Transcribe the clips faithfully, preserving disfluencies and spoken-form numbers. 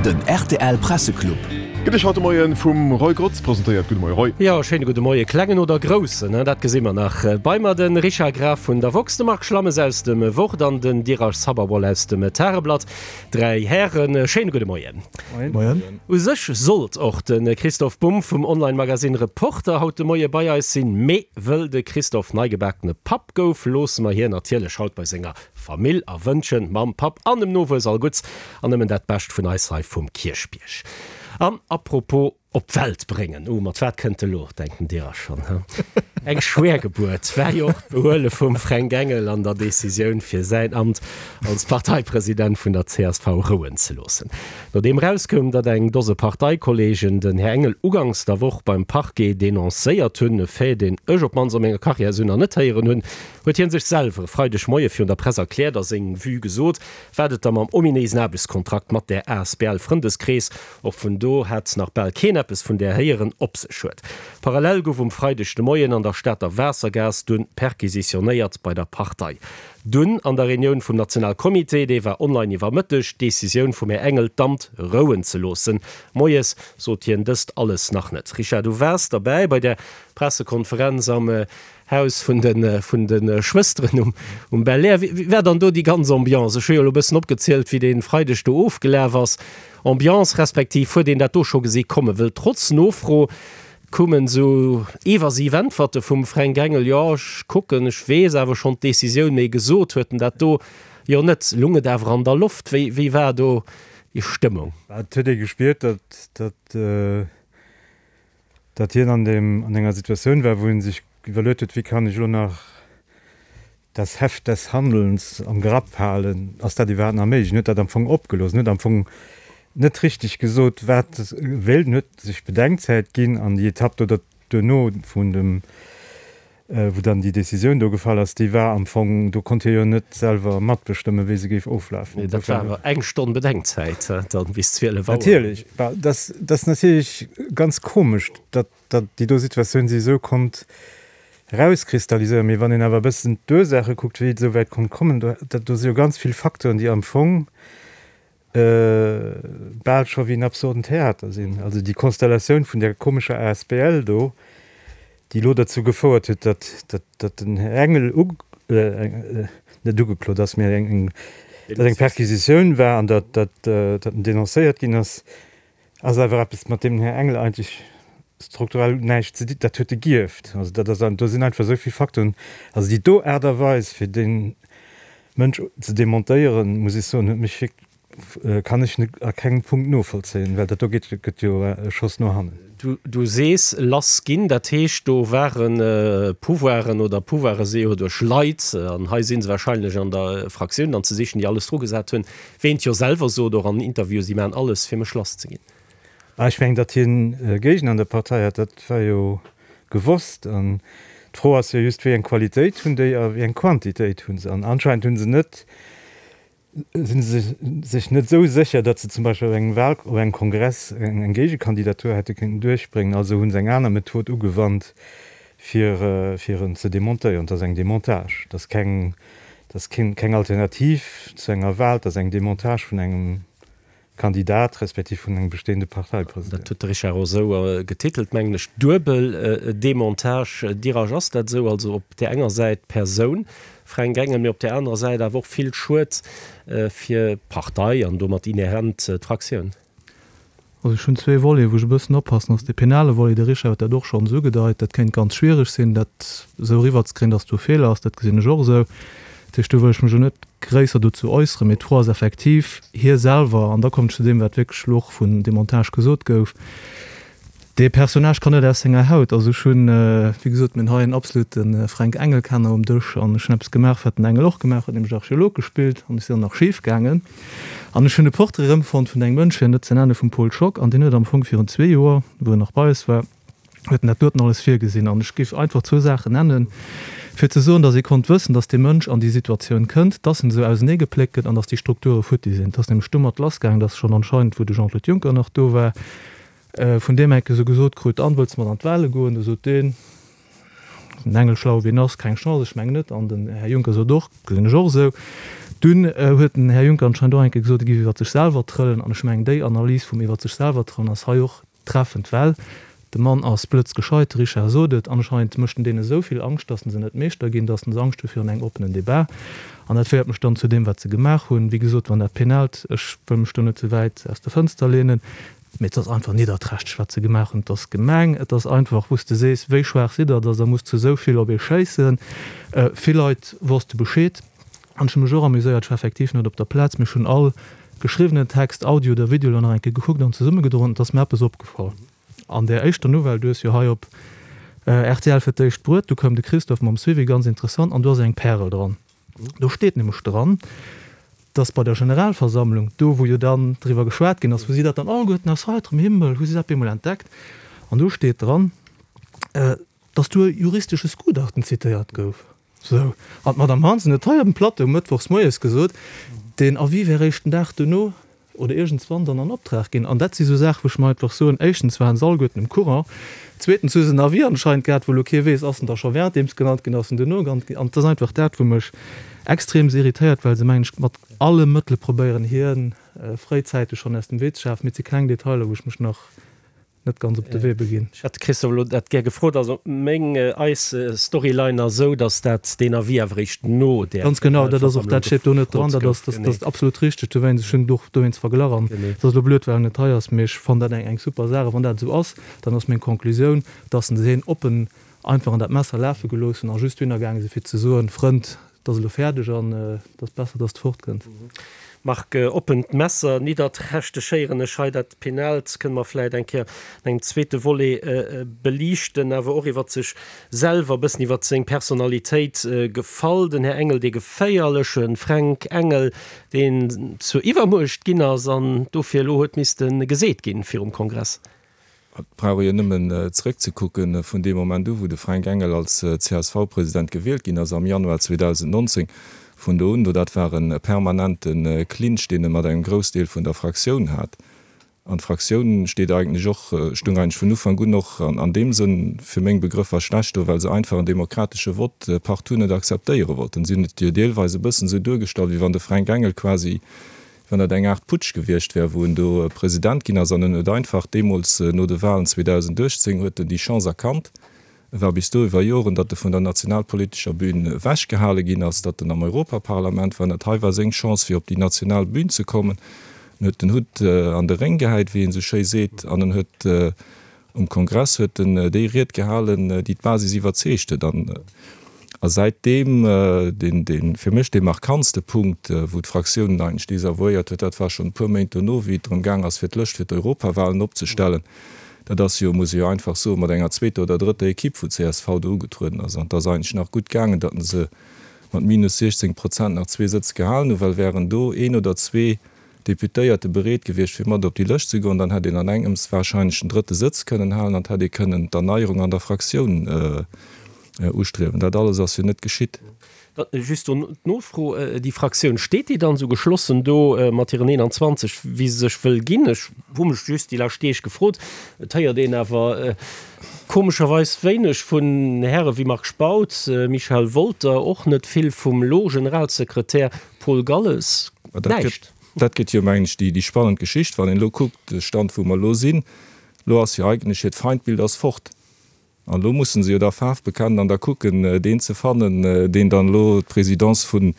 Den rtl Presseclub. Gëtt Iech haut de Moien vum Roy Grotz presentéiert. Gudde Moie Roy. Jo, schéine gudde Moie. Klengen oder groussen, dat gesi mer nach. Bei mer de Richard Graf vun der woxx, de Marc Schlammes aus dem Wort an den Dheeraj Sabharwal aus dem Tageblatt. Dräi Hären, schéine gudde Moien. Moien. U sech sollt och de Christoph Bumb vum Online-Magasinn Reporter haut de Moie bei eis sinn, mee wëll de Christoph neigebakene Papp gouf, loosse mer hien natierlech haut bei senger Famill a wënschen Mamm, Papp an dem Nowuess all Gutts an nëmmen dat Bescht vun eis hei vum Kierchbierg. An apropos op d'Welt bréngen, oh, mat wat kënnt elo, denkt den Dheeraj schonn, he? Eng schwéier Gebuert war jo och d'Behuele vum Fränk Engel an der Decisioun fir säin Amt als Parteipresident vun der csv rouen ze loossen. Nodeem erauskoum, datt eng Dose Parteikolleegen den Här Engel uganks der Woch beim Parquet denoncéiert hunn, e Fait, deen ech op d'mannst a menger Karriär esou nach net héieren hunn, huet hie sech selwer e Freidegmoie virun der Press erkläert a seng Vue gesot, wat et da mam ominéisen Aarbechtskontrakt mat där asbl Frëndeskrees, och vun do hat nach bal keen eppes vun där héieren, op sech huet. Parallel gouf um Freideg de Moien an der Stater Waassergaass dunn perquisitionéiert bei der Partei. Dunn an der Reunioun vum Nationalcomité, déi war online iwwer Mëtteg, d'Decisioun vum Här Engel, d'Amt rouen ze loossen. Moies sot hien dëst alles nach net. Richard, du waars derbäi bei där Pressekonferenz am Haus vun de vun de Schwësteren um um Belair. Wéi war dann do déi ganz Ambiance? Ech hu jo elo e bëssen opgezielt, wéi dee Freideg do ofgelaf ass. Ambiance, respektiv huet een dat do scho gesi kommen? Wëll trotz Nofro koumen esou evasiv Äntwerte vum Fränk Engel, Jo, ech kucken, ech weess awer schonn d'Decisioun, mee gesot huet en dat do jo net. Lung et awer an der Loft? Wéi wéi war do déi Stëmmung? Et huet ee gespiert, datt datt datt hien an deem an enger Situatioun war, wou en sech iwwerluet huet, wéi kann ech elo nach das Heft des Handelns am Grapp halen, ass dat iwwerhaapt nach méiglech? En huet dat am Fong opgelooss, en huet am Fong net richteg gesot, wat e wéilt, en huet sech Bedenkzäit ginn an déi Etapp do duerno vun dem, wou dann déi Décisioun do gefall ass, déi war am Fong, do konnt hie jo net selwer matbestëmmen, wéi se géif oflafen. Nee, dat war awer eng Stonn Bedenkzäit, dann bis zwielef Auer. Natierlech, dat ass natierlech ganz komesch, datt déi do Situatioun sech esou konnt erauskristalliséieren. Mee wann een awer e bëssen d'Ursaache kuckt, wéi et esou wäit konnt kommen, do, do si jo ganz vill Facteuren, déi am Fong bal scho wéi en absurden Theater sinn. Also déi Konstellatioun vun där komescher asbl do, déi elo derzou gefouert huet, datt, datt, datt den Här Engel u, net ugeklot ass, mee eng, datt eng Perquisitioun war an datt, datt, datt en denoncéiert ginn ass, ass awer eppes, mat deem den Här Engel eigentlech strukturell näischt ze di, dat huet e gierft. Also dat ass, do sinn einfach esou vill Facteuren. Also déi do Aart a Weis, fir dee Mënsch ze demontéieren, muss ech soen, huet mech wierk, kann ech net a kengem Punkt novollzéien, well dat do geet, gëtt jo e Schoss no hannen. Du, du sees lass ginn, dat heescht, do ware Pouvoiren oder Pouvoire si jo duerch Leit, an hei si se wahrscheinlech an der Fraktioun dann ze sichen, déi alles drugesat hunn, wéi en et jo selwer sot, och an Interviewen, si maachen alles, fir mech lass ze ginn. Ah, ech mengen, datt hien Géigner an der Partei hat, dat war jo gewosst. An d'Fro ass jo just, wéi eng Qualitéit hunn déi a wéi eng Quantitéit hu se. An anscheinend hu se net, si se sech net esou sécher, datt se zum Beispill op engem Wahl, op engem Kongress eng Géigekandidatur hätte kéinten duerchbréngen. Also hu se eng aner Method ugewannt, fir, fir en ze demontéieren. Dat ass eng Demontage. Dat ass keng, dat ass keng, keng Alternativ zu enger Wahl, dat ass eng Demontage vun engem Kandidat respektiv vun engem bestehende Parteipresident. Dat huet de Richard och esou getitelt, mengen ech, duebel Demontage. Dirasch, ass dat esou? Also op där enger Säit d'Persoun Fränk Engel, mee op där anerer Säit awer och vill Schued fir d'Partei an domat inhärent d'Fraktioun. Also ech hunn zwee Voleten, wou ech e bëssen oppassen ass. Dee penale Volet, de Richard huet dat och schonns ugedeit, dat kéint ganz schwiereg sinn, dat esou eriwwerzekréien, datt do e Feeler ass. Dat gesinn ech och esou. Dat heescht, do wëll ech mech elo net gréisser dozou äusseren. Mee d'Fro ass effektiv, hie selwer, an da kommen ech zu deem, wat wierklech elo och vun Demontage gesot gouf, dee Personnage kann net aus senger Haut. Also ech hunn, wéi gesot, mir hunn hei en absolute Fränk Engel-Kenner um Dësch an ech hunn eppes gemaach, wat den Engel och gemaach huet, nämlech Archeolog gespillt an ech sinn dann nach schif gaangen an ech hunn e Portrait erëmfonnt vun engem Mënsch, fir en net ze nennen, vum Paul Schock an deen huet am Fong virun zwee Joer, wou en nach bei eis war, huet en dat doten alles virgesinn. An ech géif einfach zwou Saachen nennen, fir ze soen, datt ee konnt wëssen, datt dee Mënsch an déi Situatioun kënnt, datt en esou auseneegepléckt gëtt an datt déi Strukture futti sinn. Et ass nämlech domat lassgaangen, datt schonn anscheinend, wou de Jean-Claude Juncker nach do war, vun deem enke sou gesot krut, An, wëlls de mat an d'Wahle goen? Du sot deen, den Engel, schlau wéi en ass, Keng Chance, ech mengen net. An den Här Juncker sot och, Gesinn ech och esou. Dunn huet den Här Juncker anscheinend och eng Kéier gesot, e géif iwwer sech selwer trëllen. An ech mengen, déi Analys vum iwwer sech selwer trëllen ass hei och treffend, well de Mann ass blëtzgescheit, de Richard sot et, anscheinend mécht en deene esou vill Angscht, datt se net Meeschter ginn, datt se Angscht hu virun engem oppenen Debat. An dat féiert mech dann zu deem, wat se gemaach hunn. Wéi gesot, wann dat penaalt, ech wëll mech do net ze wäit aus der Fënster leenen, mee et ass einfach nidderträchteg, wat se gemaach hunn. Et ass gemeng, et ass einfach, wou s de sees, wéi schwaach sidd Der, datt Der musst zu esou vill op ee schéissen. Vill Leit wosste Bescheed. An ech hu mech och amuséiert, ech war effektiv net op der Plaz, mee ech hunn all geschriwwenen Text, Audio oder Video, elo nach eng Kéier gekuckt an zesummegedroen. Et ass mir eppes opgefall an där éischter Nouvelle, du hues jo hei op rtl fir d'éischt bruet, du koum de Christophe mam Suivi, ganz interessant, an do ass eng Pärel dran. Do steet nämlech dran, dass bei der Generalversammlung, do wou jo dann driwwer geschwat ginn ass, wou si dat dann alleguerten aus heiterem Himmel, hu si dat bemol entdeckt, an do steet dran, dass do e juristesches Gutachten zitéiert gouf. Sou, an d'Madame Hansen huet hei op dem Plateau mëttwochs moies gesot, deen Avis wär eréischt den Dag duerno oder iergendswann dann an Optrag ginn. An dat si sou Saachen, wou ech mer einfach soen, éischtens waren se alleguerten um Courant, zweetens hu se en Avis anscheinend gehat, wou elo kee weess, ass en da scho währenddeems genannt ginn, ass en duerno genannt ginn. An et ass einfach dat, wou mech extreems irritéiert, well se, mengen ech, mat alle Mëttele probéieren, hien fréizäiteg schonn aus dem Wee ze schafen. Mee et si kleng Detailer, wou ech mech nach net ganz op de Wee beginn. Ech hätt de Christophe elo dat gär gefrot. Also meng, eis Storyline ass esou, datt dat deen Avis awer eréischt no där Ganz genau, dat ass och, dat steet do net dran. Generalversammlung Dat ass, gefrot gouf. dat ass absolut richteg. Dowéinst, ech hunn et och dowéinst verglach an et ass elo blöd, well en net hei ass, mee ech fannen dat eng, eng super Saach. A wann dat esou ass, dann ass meng Conclusioun, datt se hien oppen einfach an dat Messer lafe gelooss hunn a just dohinner gaange si fir ze soen, Frënd, et ass elo fäerdeg an et ass besser, datt s de fortkënns. Marc, Oppent Messer, nidderträchteg héieren ech hei. Dat Penalt kënne mer vläit eng Kéier an engem zweete Volet beliichten. Awer och iwwer sech selwer, e bëssen iwwer seng Personalitéit gefall. Den Här Engel, dee geféierleche Fränk Engel, deen zur Iwwermuecht ginn ass an dofir elo huet misste geseet ginn virum Kongress. Et brauch ee jo nëmmen zréckzekucken, vun deem Moment u wou de Fränk Engel als C S V-President gewielt ginn ass am Januar zweedausendnonzéng, vun do un, do dat war e permanente Clinch, deen e mat engem Groussdeel vun der Fraktioun hat. An d'Fraktioun steet eigentlech och, stung eigentlech vun Ufank un och an deem Sënn fir meng Begrëffer schlecht do, well se einfach en demokratesche Vott partout net akzeptéiere wollten. Si hunn et jo deelweis e bëssen esou duergestallt, wéi wann de Fränk Engel quasi wann dat eng Aart Putsch gewiescht wär, wou en do President ginn ass an en huet einfach deemools no de Wahlen zweedausenduechtzéng huet en déi Chance erkannt, e war bis do iwwer Joren, datt e vun der nationalpolitescher Bühn ewechgehale ginn ass, datt en am Europaparlament war an dat hei war seng Chance fir op déi national Bühn ze kommen. En huet den Hutt an de Réng gehäit, wéi een esou schéi seet, an en huet Um Kongress huet en déi Ried gehalen, déi d'Basis iwwerzeegt huet. An a säitdeem, deen, deen fir mech dee markantste Punkt, wou d'Fraktioun en eigentlech desavouéiert huet, dat war schonn e puer Méint dono, wéi et drëm gaang ass, fir d'Lëscht fir d'Europawahlen opzestellen. Dat ass jo, muss ee jo einfach soen, mat enger zweeter oder drëtter Equipe, wou d'C S V do ugetrueden ass. An et ass eigentlech nach gutt gaangen, datt se mat minus siechzéng Prozent nach zwee Sëtz gehalen hunn, well wären do een oder zwee Deputéierte bereet gewiescht fir mat op déi Lëscht ze goen, dann hätt een an engems wahrscheinlech den drëtte Sëtz kënnen halen an et hätt ee kënnen d'Erneierung an der Fraktioun ustriewen. Dat alles ass jo net geschitt. Just do d'Nofro, Déi Fraktioun, steet déi dann esou geschlossen do mat hiren eenanzwanzeg, wéi se sech wëll ginn? Ech hu mech just déi lescht Deeg gefrot. Et héiert een awer komescherweis wéineg vun Häre wéi Marc Spautz, Michel Wolter, och net vill vum elo Generalsekretär Paul Galles. Näischt. Dat gëtt jo, mengen ech, déi spannend Geschicht, wann een elo kuckt, de Stand, wou mer elo sinn. Elo ass jo eigentlech hiert Feindbild ass fort. An elo musse se jo da Faarf bekennen an da kucken, deen ze fannen, deen dann elo d'Présidence vun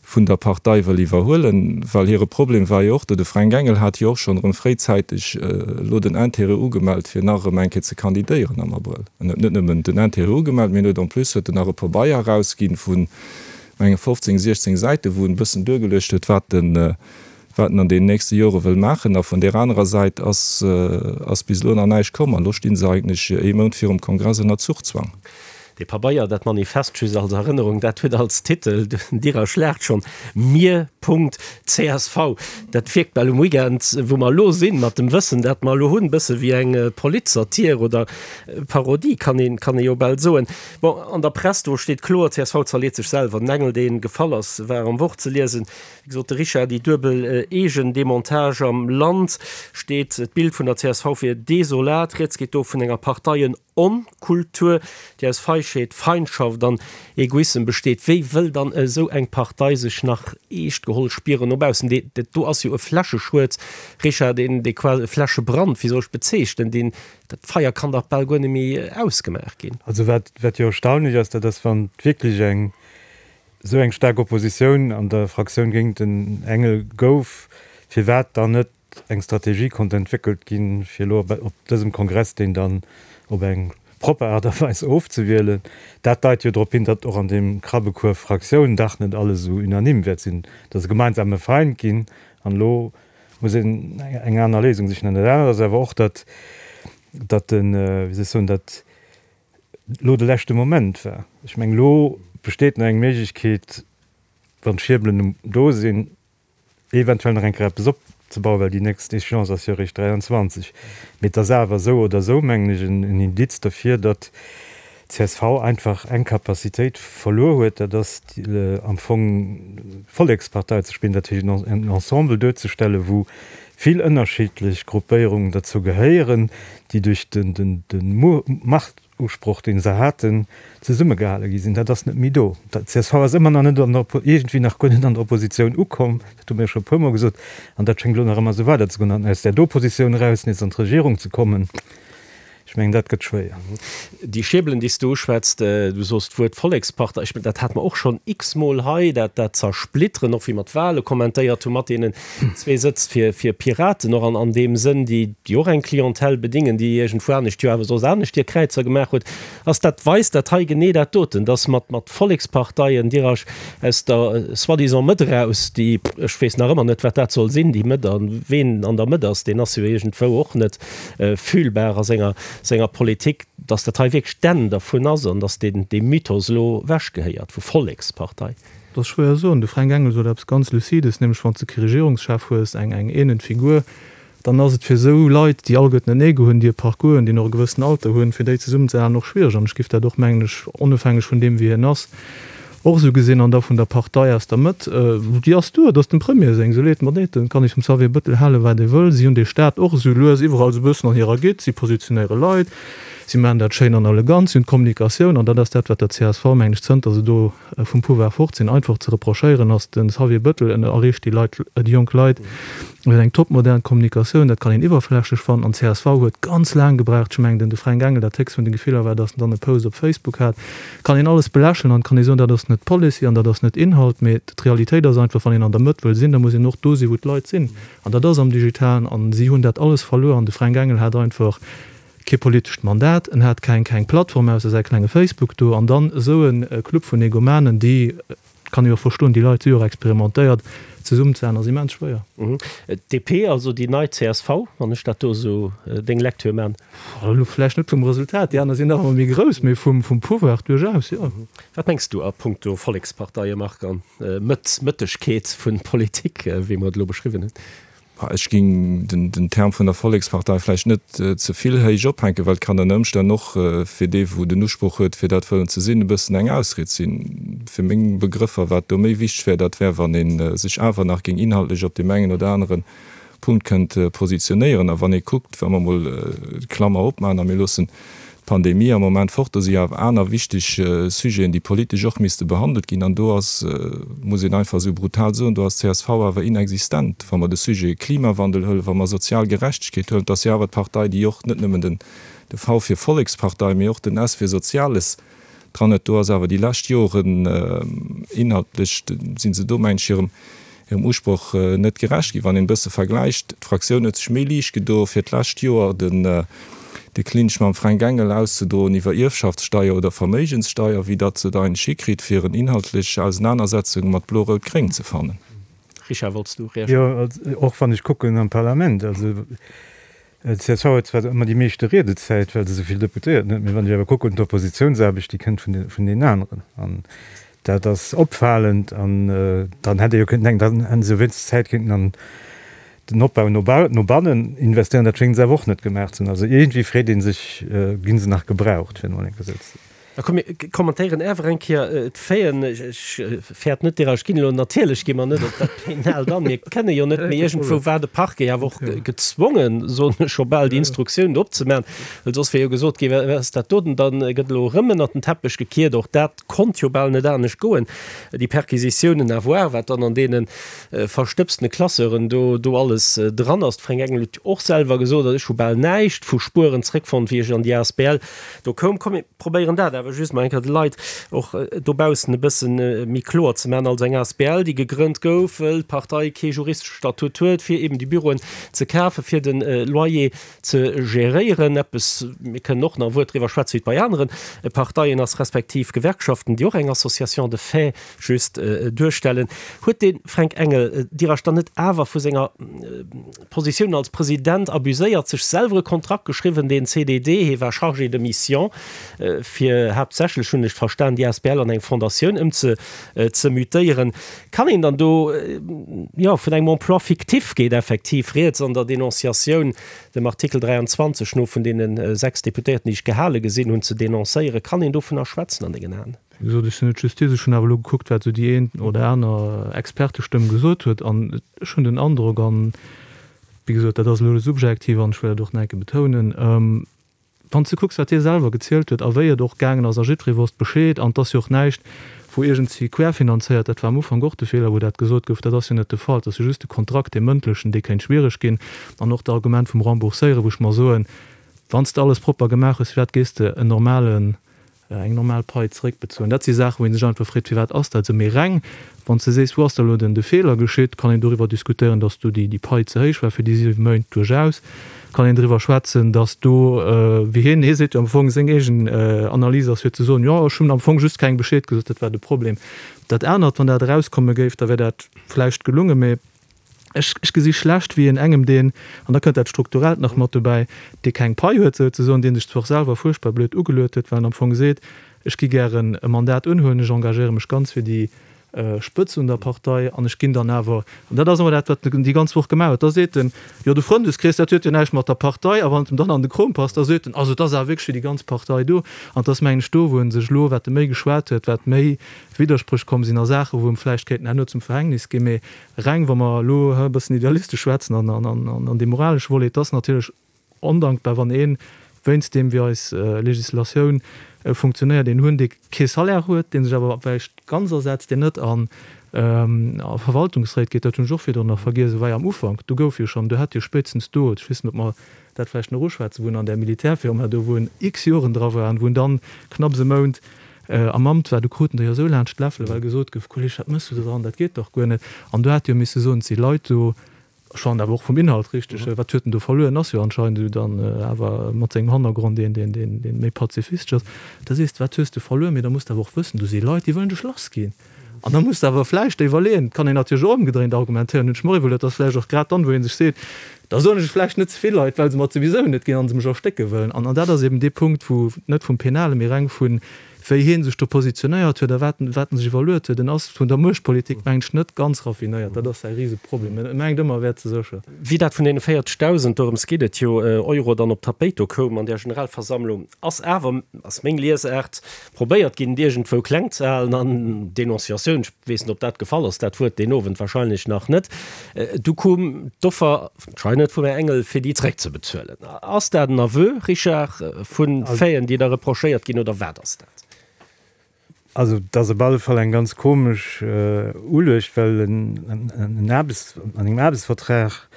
vun der Partei wëll iwwerhuelen. Well hire Problem war jo och do, de Fränk Engel hat jo och schonn erëm fréizäiteg elo den Intérêt ugemellt, fir nach erëm eng Kéier ze kandidéieren am Abrëll. En huet net nëmmen den Intérêt ugemellt, mee en huet en plus huet en nach e Pabeier erausginn vun, menge fofzéng, siechzéng Säiten, wou en e bëssen duergeluecht huet, wat en, wat en an deenen nächste Jore wëll maachen. A vun där anerer Säit ass, ass bis elo nach näischt komm. An elo sti se eigentlech ee Mount virum Kongress ënner Zuchzwang. Dee Pabeier, dat Manifest, just als Erënnerung, dat huet als Titel, den Direr schlaacht schonn, Mir. Punkt C S V. Dat wierkt bal um Weekend, wou mer elo sinn, mat dem Wëssen, dat mer elo hunn, e bësse wéi eng Politsatir oder Parodie, kann een, kann ee jo bal soen. Bon, an der Press, do steet kloer, C S V zerleet sech selwer. Den Engel, dee gefall ass, war am Wort ze liesen. Wéi gesot, de Richard, déi duebel Eegendemontage am Land steet d'Bild vun der C S V wier desolat. Rieds geet do vun enger Parteien. Onkultur, déi aus Feigheet, Feindschaft an Egoissem besteet. Wéi wëll dann esou eng Partei sech nach eescht geholl spieren no baussen? Dee, dat do ass jo e Fläscheschued, Richard, deen, dee quasi, e Fläschebrand, wéi soll ech bezeechnen, deen, dat Feier kann dach bal guer net méi ausgemaach ginn. Also wat, wat jo erstaunlech ass, dat ass, wann wierklech eng esou eng staark Oppositioun an der Fraktioun géint den Engel gouf, firwat dann net eng Strategie konnt entwéckelt ginn, fir elo op dësem Kongress deen dann op eng propper Aart a Weis ofzewielen. Dat deit jo drop hin, datt och an deem Krabbekuerf Fraktioun dach net alles esou unanime wäert sinn, datt e gemeinsame Feind ginn an elo muss een eng aner Léisung sichen. An dat anert ass awer och, datt, datt den, wéi soll ech soen, datt elo de leschte Moment war. Ech mengen, elo besteet nach eng Méiglechkeet, wann d'Schierbelen do sinn, eventuell nach eng Kéier eppes opzebauen, well déi nächst Échéance ass jo eréischt dräianzwanzeg. Mee et ass awer esou oder esou, mengen ech, en Indiz derfir, datt d'CSV einfach eng Capacitéit verluer huet, dat ass am Fong Vollekspartei ze spillen, dat heescht en Ensemble duerzestellen, wou vill ënnerschiddlech Gruppéierungen derzou gehéieren, déi duerch de Machtusproch, dee se haten, zesummegehale gi sinn. Dat ass net méi do. D'CSV ass ëmmer nach net an der, iergendwéi nach guer net an der Oppositioun ukomm, dat hu mir scho e puermol gesot, an dat schéngt elo nach ëmmer esou weiderzegoen. An aus där do Positioun eraus nees an d'Regierung ze kommen, Ech mengen, dat gëtt schwéier. Déi Schierbelen, déi s du uschwätzt, du sos d'Wuert Vollekspartei, ech mengen, dat hate mer och schonn x-mol hei, dat, dat Zersplitteren, och wéi mer d'Wahle kommentéiert hu mat deenen zwee Sëtz fir, fir Piraten, och an, an deem Sënn, déi, déi och eng Clientèle bedingen, déi iergendwou anescht jo awer soss anescht hir Kräizer gemaach huet. Ass dat, weist dat hei genee dat doten, dass mat, mat Volleksparteien dir aus der soi-disant Mëtt eraus, déi, ech weess nach ëmmer net, wat dat soll sinn, déi Mëtt, a ween an der Mëtt ass, deen ass jo iergendwou och net fühlbar a senger, senger Politik, dass dat hei wierklech d'Enn dervun ass an dass deen, dee Mythos elo ewechgehéiert vu Vollekspartei. Dat ass schwéier soen. De Fränk Engel sot eppes ganz Lucides, nämlech wann s de kee Regierungschef hues, eng, eng eenend Figur, dann ass et fir esou Leit, déi alleguerten en Ego hunn, déi e Parcours hunn, déi och e gewëssenen Alter hunn, fir déi zesummenzehalen och schwiereg. An ech géif dat och, mengen ech, onofhängeg vun deem, wie hien ass, och esou gesinn. An da vun der Partei aus der Mëtt, déi ass do, et ass dem Premier seng, esou leed mer deet, et kann ee vum Xavier Bëttel halen, wat ee wëll, si hunn dee Staat och esou lues iwwerall esou e bëssen an hirer Gitt, si positionéiere Leit, si maachen dat schéin an elegant, si hunn d'Kommunikatioun, an dat ass dat, wat der csv, mengen ech, zënter se do vum Pouvoir fort sinn, einfach ze reprochéieren ass. De Xavier Bëttel erreecht déi Leit, déi jonk Leit, huet eng topmodern Kommunikatioun, dat kann een iwwerflächlech fannen, an csv huet ganz laang gebraucht, ech mengen den de Fränk Engel, dat héchst vun de Gefiller war, datt en dann e Post op Facebook hat, kann een alles belächeln an kann ee soen, dat ass net Policy an dat ass net Inhalt, mee d'Realitéit ass einfach, wann een an der Mëtt wëll sinn, da muss een och do sinn, wou d'Leit sinn, an dat ass am Digitalen, an si hunn dat alles verluer an de Fränk Engel hat einfach kee politescht Mandat, en hat keng keng Plattform ausser säi klenge Facebook do, an dann esou e Club vun Egomanen, déi, kann ee jo verstoen, déi Leit si jo och experimentéiert, zesummen ze halen ass immens schwéier. D'DP, also déi nei csv, wann ech dat do esou deng Lecture man. Elo vläicht net vum Resultat, déi aner sinn nach ëmmer méi grouss, mee vum Pouvoir duerchaus, jo. Wat mengs du a punkto Volleksparteie, Marc, an Mëtt, Mëttegkeet vun Politik, wéi mer et elo beschriwwen hunn? Ech géing den Term vun der Vollekspartei vläicht net ze vill héich ophänken, well et kann ënner Ëmstänn och fir dee wou den Usproch huet fir dat wëllen ze sinn, e bëssen eng Ausried sinn. Fir meng Begrëffer, wat do méi wichteg wär, dat wär wann ee sech awer nach géing inhaltlech op deem engen oder anere Punkt kënnt positionéieren. A wann ee kuckt, wa mer emol d'Klammer opmaachen a mir loossen d'Pandemie am Moment fort, do si jo awer aner wichteg Sujeten, déi politesch och misste behandelt ginn. An do ass, muss een einfach esou brutal soen, do ass csv awer inexistent. Wa mer de Sujet Klimawandel huelen, wa mer sozial Gerechtegkeet huelen, et ass jo awer d'Partei, déi och net nëmmen den de V fir Vollekspartei, mee och den S fir Soziales dran huet. Do ass awer déi lescht Joren inhaltlech, si se do, mengen ech, hirem hirem Usproch net gerecht ginn. Wann een e bësse vergläicht, d'Fraktioun huet sech méi liicht gedo fir d'lescht Joer den de Clinch mam Fränk Engel auszedroen iwwer Ierfschaftssteier oder Verméigenssteier, wéi datt se et eigentlech hikritt fir en inhaltlech Ausenanersetzung mat Blo-Rout-Gréng ze fannen. Richard, wollts du reagéieren? Jo, och wann ech kucken am Parlament, also D'CSV huet zwar ëmmer déi meeschte Riedezäit, well se esou vill Deputéierten huet, mee wann ech awer kucken, d'Oppositiounsaarbecht, déi kënnt vun deenen aneren. An dat ass opfalend. An dann hätt ee jo kënnten denken, dann hätte se jo wéinstens Zäit kéinten an den Opbau no bannen investéieren. Dat schénge se awer och net gemaach ze hunn. Also iergendwéi freet ee sech, Gi se nach gebraucht, fir emol eng Kéier esou ze soen. Da komm mir kommentéieren awer eng Kéier d'Faiten. Ech fäert net, Dir, ech ginn elo, natierlech gi mer net op dat Penaalt an, mir kënne jo net, mee iergendwou war de Parquet awer och gezwongen, soen ech scho bal, déi Instruktioun do opzemaachen, well soss wier jo gesot ginn, wat ass dat doten, da gëtt elo erëm ënnert den Teppech gekiert. Och dat konnt jo bal net anescht goen, déi Perquisitiounen, à voir, wat dann an deene verstëbstene Classeuren do do alles dran ass. De Fränk Engel huet jo och selwer gesot, ech hu bal näischt vu Spueren zréckfonnt, wéi ech an déi asbl do koum. Komm, mir probéieren dat awer just mol eng Kéier de Leit och dobaussen e bësse méi kloer ze maachen. Also eng asbl, déi gegrënnt gouf, wëll d'Partei kee juristesche Statut huet, fir eben déi Büroen ze kafen, fir de Loyer ze geréieren. Eppes, mir kënnen och nach e Wuert driwwer schwätzen, wéi et bei anere Parteien ass, respektiv Gewerkschaften, déi och eng Association de fait just duerstellen. Huet de Fränk Engel Dir dann net awer vu senger Positioun als President abuséiert, sech selwer e Kontrakt geschriwwen, deen C D D, hie war Chargé de mission, fir haaptsächlech, hunn ech verstan, déi asbl an eng Fondatioun ëmze ze mutéieren. Kann een dann do, jo, vun engem Emploi fictif geet effektiv rieds an der Denonciatioun, dem Artikel dräianzwanzeg no, vun deene sechs Deputéierten, déi ech gehale gesinn hunn, ze denoncéieren? Kann een dovunner schwätzen an dengen Aen? Wéi gesot, ech sinn net Justiz, ech hunn awer elo gekuckt, wat esou déi een oder aner Expertestëmm gesot huet, an ech hunn den Androck, an wéi gesot, dat ass elo subjektiv an ech wëll dat och nach eng Kéier betounen, wann s de kucks, wat hie selwer gezielt huet a wéi et och gaangen ass, a jiddweree wosst Bescheed, an et ass jo och näischt, wou iergendwéi querfinanzéiert, dat war am Ufank och de Feeler, wou dat gesot gouf, dat ass jo net de Fall, et ass jo just de Kontrakt, dee mëndlechen, dee kéint schwiereg ginn, an och d'Argument vum Rembourséieren, wou ech mer soen, wann s de alles propper gemaach hues, firwat gees de en normalen, eng normal Pai zeréckbezuelen? Dat si Saachen, wou ee sech einfach freet, Firwat ass dat esou? Mee reng, wann s de sees, wou ass da elo den de Feeler geschitt, kann een doriwwer diskutéieren, datt do déi Pai ze héich war fir déi siwe Méint. Duerchaus kann een driwwer schwätzen, datt do, wéi hien, hie seet jo am Fong, seng eegen Analys ass fir ze soen, jo, ech hunn am Fong just kengem Bescheed gesot, dat war de Problem. Dat anert, wann dat erauskomme géif, da wär dat vläicht gelungen, mee Ech, ech gesi schlecht, wéi een engem, deen, an da kënnt dat Strukturellt nach mat dobäi, dee keng Pai huet souzesoen, dee sech zwar och selwer fuerchtbar blöd ugeluet huet, well en am Fong seet, ech gi gären e Mandat unhuelen, ech engagéiere mech ganz fir déi Spëtz un der Partei an ech ginn dann awer, an dat ass awer dat, wat en déi ganz Woch gemaach huet, da seet en, jo de Frëndeskrees, dat huet jo näischt mat der Partei, a wann et em dann an de Krom passt, da seet en, also et ass awer wierklech fir déi ganz Partei do. An et ass, mengen ech, do, wou e sech elo, wat e méi geschwat huet, wat méi Widderspréch komm sinn a Saachen, wou em vläicht kéinten herno zum Verhängnis ginn, mee reng wa mer elo e bëssen idealistesch schwätzen an an dee moralesche Volet, et ass natierlech ondankbar, wann een, wéinst deem wéi eis Legislatioun funktionéiert, een hunn, dee kee Salaire huet, dee sech awer vläicht ganz asetzt, deen net a Verwaltungsréit geet, dat hunn ech och virdrun nach vergiess, et war jo am Ufank, do gouf jo schonn, do hätt jo spéitstens do, ech weess net, ob mer dat vläicht nach uschwätzen, wou en an där Militärfirma do, wou en x Joren dra war an wou en dann knapps e Mount am Amt war, do kruten der jo esou laanscht d'Läffele well gesot gouf, Kolleg, wat méchs du do dran, dat geet dach guer net. An do hätt jo misse soen, et si Leit do, ech fannen awer och vum Inhalt richteg, wat huet en do verluer, en ass jo anscheinend esou dann awer mat sengem Hannergrond een, deen, deen, deen méi pazifistesch ass, da sees de, wat hues de verluer, mee da muss de awer och wëssen, do si Leit, déi wëllen dech lassginn. An da muss de awer vläicht iwwerleeën, et kann een natierlech och ëmgedréint argumentéieren, hunn ech mer iwwerluet, ass vläicht och grad dann, wou ee sech seet, da soen ech et vläicht net ze vill Leit, well se mer et souwisou net ginn a se mech erstécke wëllen. An dat ass eben dee Punkt, wou net vum Penale, mee reng vu wéi hie sech do positionéiert huet a wat en wat en sech iwwerluet huet. En ass vun der Muechtpolitik, mengen ech, net ganz raffinéiert. Dat ass säi Riseproblem. En mengt ëmmer, e wär ze sécher. Wéi dat vun deene véierzegdausend, dorëms geet et jo, Euro dann op d'Tapéit do koum an där Generalversammlung, ass awer, ass meng Liesaart, probéiert ginn, et iergendwou kleng ze halen an Denonciatioun, ech weess net, ob dat gefall ass, dat Wuert deen Owend wahrscheinlech nach net, du koum d'Offer anscheinend vum Här Engel, fir déi zréckzebezuelen. Ass dat en Aveu, Richard, vu Faiten, déi der reprochéiert ginn, oder wat ass dat? Also et ass op alle Fall eng ganz komesch Uluecht, well en Aarbechts, an engem Aarbechtsvertrag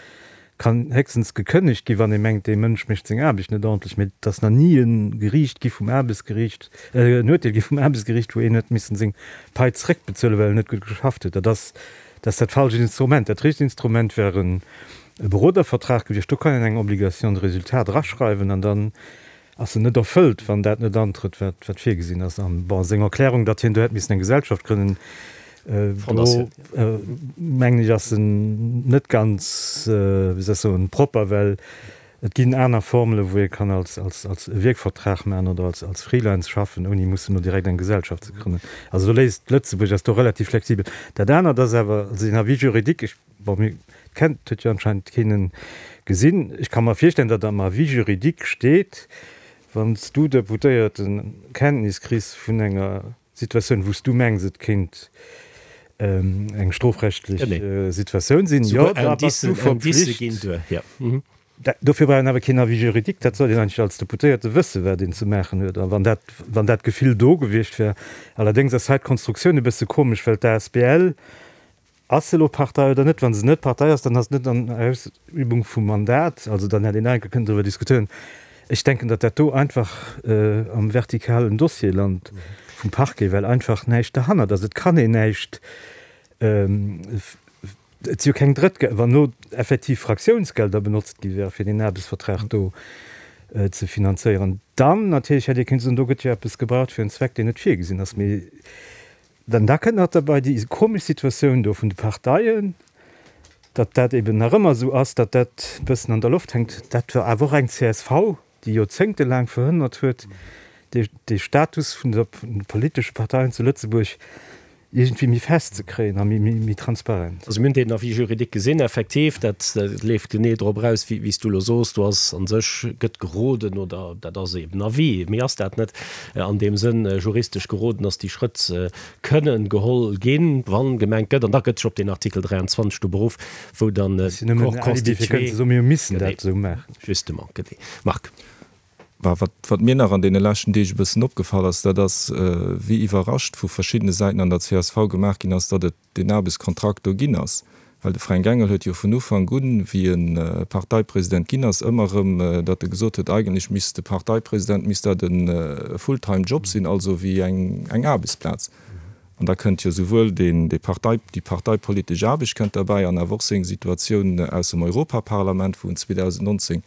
kann héchstens gekënnegt ginn, wann ee mengt, dee Mënsch mécht seng Aarbecht net ordentlech. Mee et ass nach ni e Geriicht gi vum Aarbechtsgeriicht, en Urteel gi vum Aarbechtsgeriicht, wou een huet missen seng Pai zréckbezuelen, well en net gutt geschafft huet. Dat ass, dat ass dat falscht Instrument. Dat richtegt Instrument wär e Berodervertrag gewiescht. Do kann een eng Obligation de résultat draschreiwen an dann ass en net erfëllt, wann dat net antrëtt, wat, wat virgesinn ass. An, bon, seng Erklärung, datt hien do hätt missen eng Gesellschaft grënnen, do mengen ech, ass en net ganz, wéi soll ech soen, propper, well et ginn aner Formele wou ee kann als, als, als e Wierkvertrag maachen oder als, als Freelance schaffen, ouni mussen elo direkt eng Gesellschaft ze grënnen. Also do léisst Lëtzebuerg ass do relativ flexibel. Dat anert ass awer, also den Avis juridique, ech, bon, mir kennt, huet jo anscheinend keen en gesinn. Ech ka mer virstellen, datt am Avis juridique steet, Wann s du Deputéierten Kenntnis kriss vun enger Situatioun, wou s du mengs, et kéint eng strofrechtlech Situatioun sinn, jo, da bass du verpflicht. Dofir brauch een awer keen Avis juridique, dat sollt een eigentlech als Deputéierte wëssen, wat een ze maachen huet. A wann dat, wann dat Gefill do gewiescht wär. Allerdéngs ass hei d'Konstruktioun e bësse komesch, well d'ASBL, Ass se elo Partei oder net? Wa se net Partei ass, dann ass se net an Ausübung vum Mandat. Also dann hätt een nach eng Kéier kënnen driwwer diskutéieren. Ech denken, datt dat do einfach am vertikalen Dossier lant vum Parquet, well einfach näischt derhannert ass. Et kann een näischt, et si jo keng Drëttgelder, wann elo effektiv Fraktiounsgelder benotzt gi wäre fir deen Aarbechtsvertrag do ze finanzéieren, dann natierlech hätt ee kënnen soen, do gëtt jo eppes gebraucht fir en Zweck, deen net virgesinn ass. Mee Dann da kënnt nach derbei déi komesch Situatioun do vun de Parteien, datt dat eben nach ëmmer esou ass, datt dat e bëssen an der Loft hänkt. Dat war awer och eng csv, déi joerzéngtelaang verhënnert huet, dee Status vun de politesche Parteien zu Lëtzebuerg iergendwéi méi fest ze kréien a méi transparent. Also mir hunn deen Avis juridique gesinn, effektiv, dat leeft genee drop eraus, wéi s du elo soos. Do ass a sech, gëtt geroden, oder dat ass eben Avis, méi ass dat net, an deem Sënn juristesch geroden, dass déi Schrëtt kënnen geholl ginn, wann gemengt gëtt, an da gëtt sech op deen Artikel dräianzwanzeg do beruff, wou dann de Corps constitué. Mir missen dat esou maachen. Justement, genee. Marc. Wat, wat mir nach an deene leschten Deeg e bëssen opgefall ass, dat ass, wéi iwwerrascht vu verschiddene Säiten an der csv gemaach ginn ass, datt et deen Aarbechtskontrakt do ginn ass. Well de Fränk Engel huet jo vun Ufank un, wéi e Parteipresident ginn ass, ëmmer erëm, datt e gesot huet, eigentlech misst de Parteipresident, misst dat e full-time job sinn, also wéi eng Aarbechtsplaz. An da kënnt jo souwuel deen, déi Partei, déi parteipolitesch Aarbecht kënnt derbäi an awer och seng Situatioun aus dem Europaparlament, wou en zweedausendnonzéng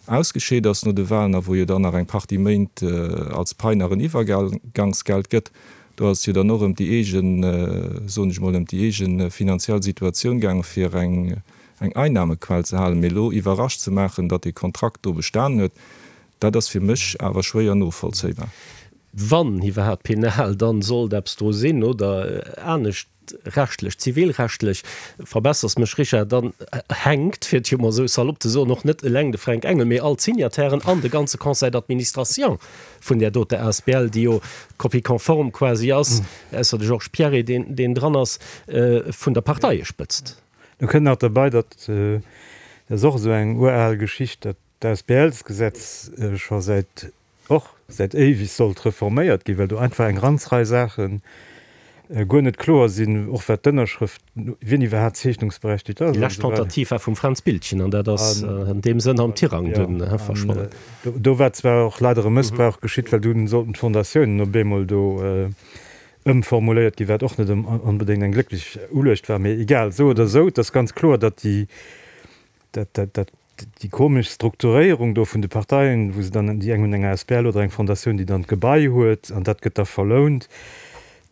ausgescheet ass no de Wahlen a wou jo dann nach eng Partie Méint als Pai nach en Iwwergangsgeld gëtt. Do ass et jo dann och ëm déi eegen, soen ech mol, ëm déi eege finanziell Situatioun gaangen, fir eng Einnahmequell ze halen. Mee elo iwwerrascht ze maachen, datt dee Kontrakt do bestanen huet, dat ass fir mech awer schwéier novollzéibar. Wann iwwerhaapt penal, dann sollt eppes dru sinn oder anescht rechtlech, zivilrechtlech, verbessers mech Richard, dann hänkt, fir et jo mol esou salopp ze soen, och net eleng de Fränk Engel, mee all d'Signatairen an de ganze Conseil d'administration vun där doter asbl, déi jo Copie conforme quasi ass, ausser de Georges Pierret, deen, deen dran ass, vun der Parteiespëtzt. Do kënnt nach derbei, datt, dat ass och esou eng ural Geschicht, datt d'ASBLsgesetz scho säit och säit éiweg sollt reforméiert ginn, well do einfach eng ganz Rei Saache guer net kloer sinn, och wat d'Ënnerschrëft, wien iwwerhaapt zeechnungsberechtigt ass Déi an lescht esou weider. Tentative war vum Fränz Biltgen an dat ass an deem Sënn am Tirang dunn verschwonnen. Do war zwar och leider e Mëssbrauch geschitt, well dunn sollten d'Fondatiounen op eemol do ëmformuléiert ginn, wat och net onbedéngt eng glécklech Uluecht war, mee egal. Esou oder esou, et ass ganz kloer, datt déi, dat, dat, dat déi komesch Strukturéierung do vun de Parteien, wou se dann, déi eng hunn eng asbl oder eng Fondatioun, déi dann d'Gebai huet an dat gëtt da verlount,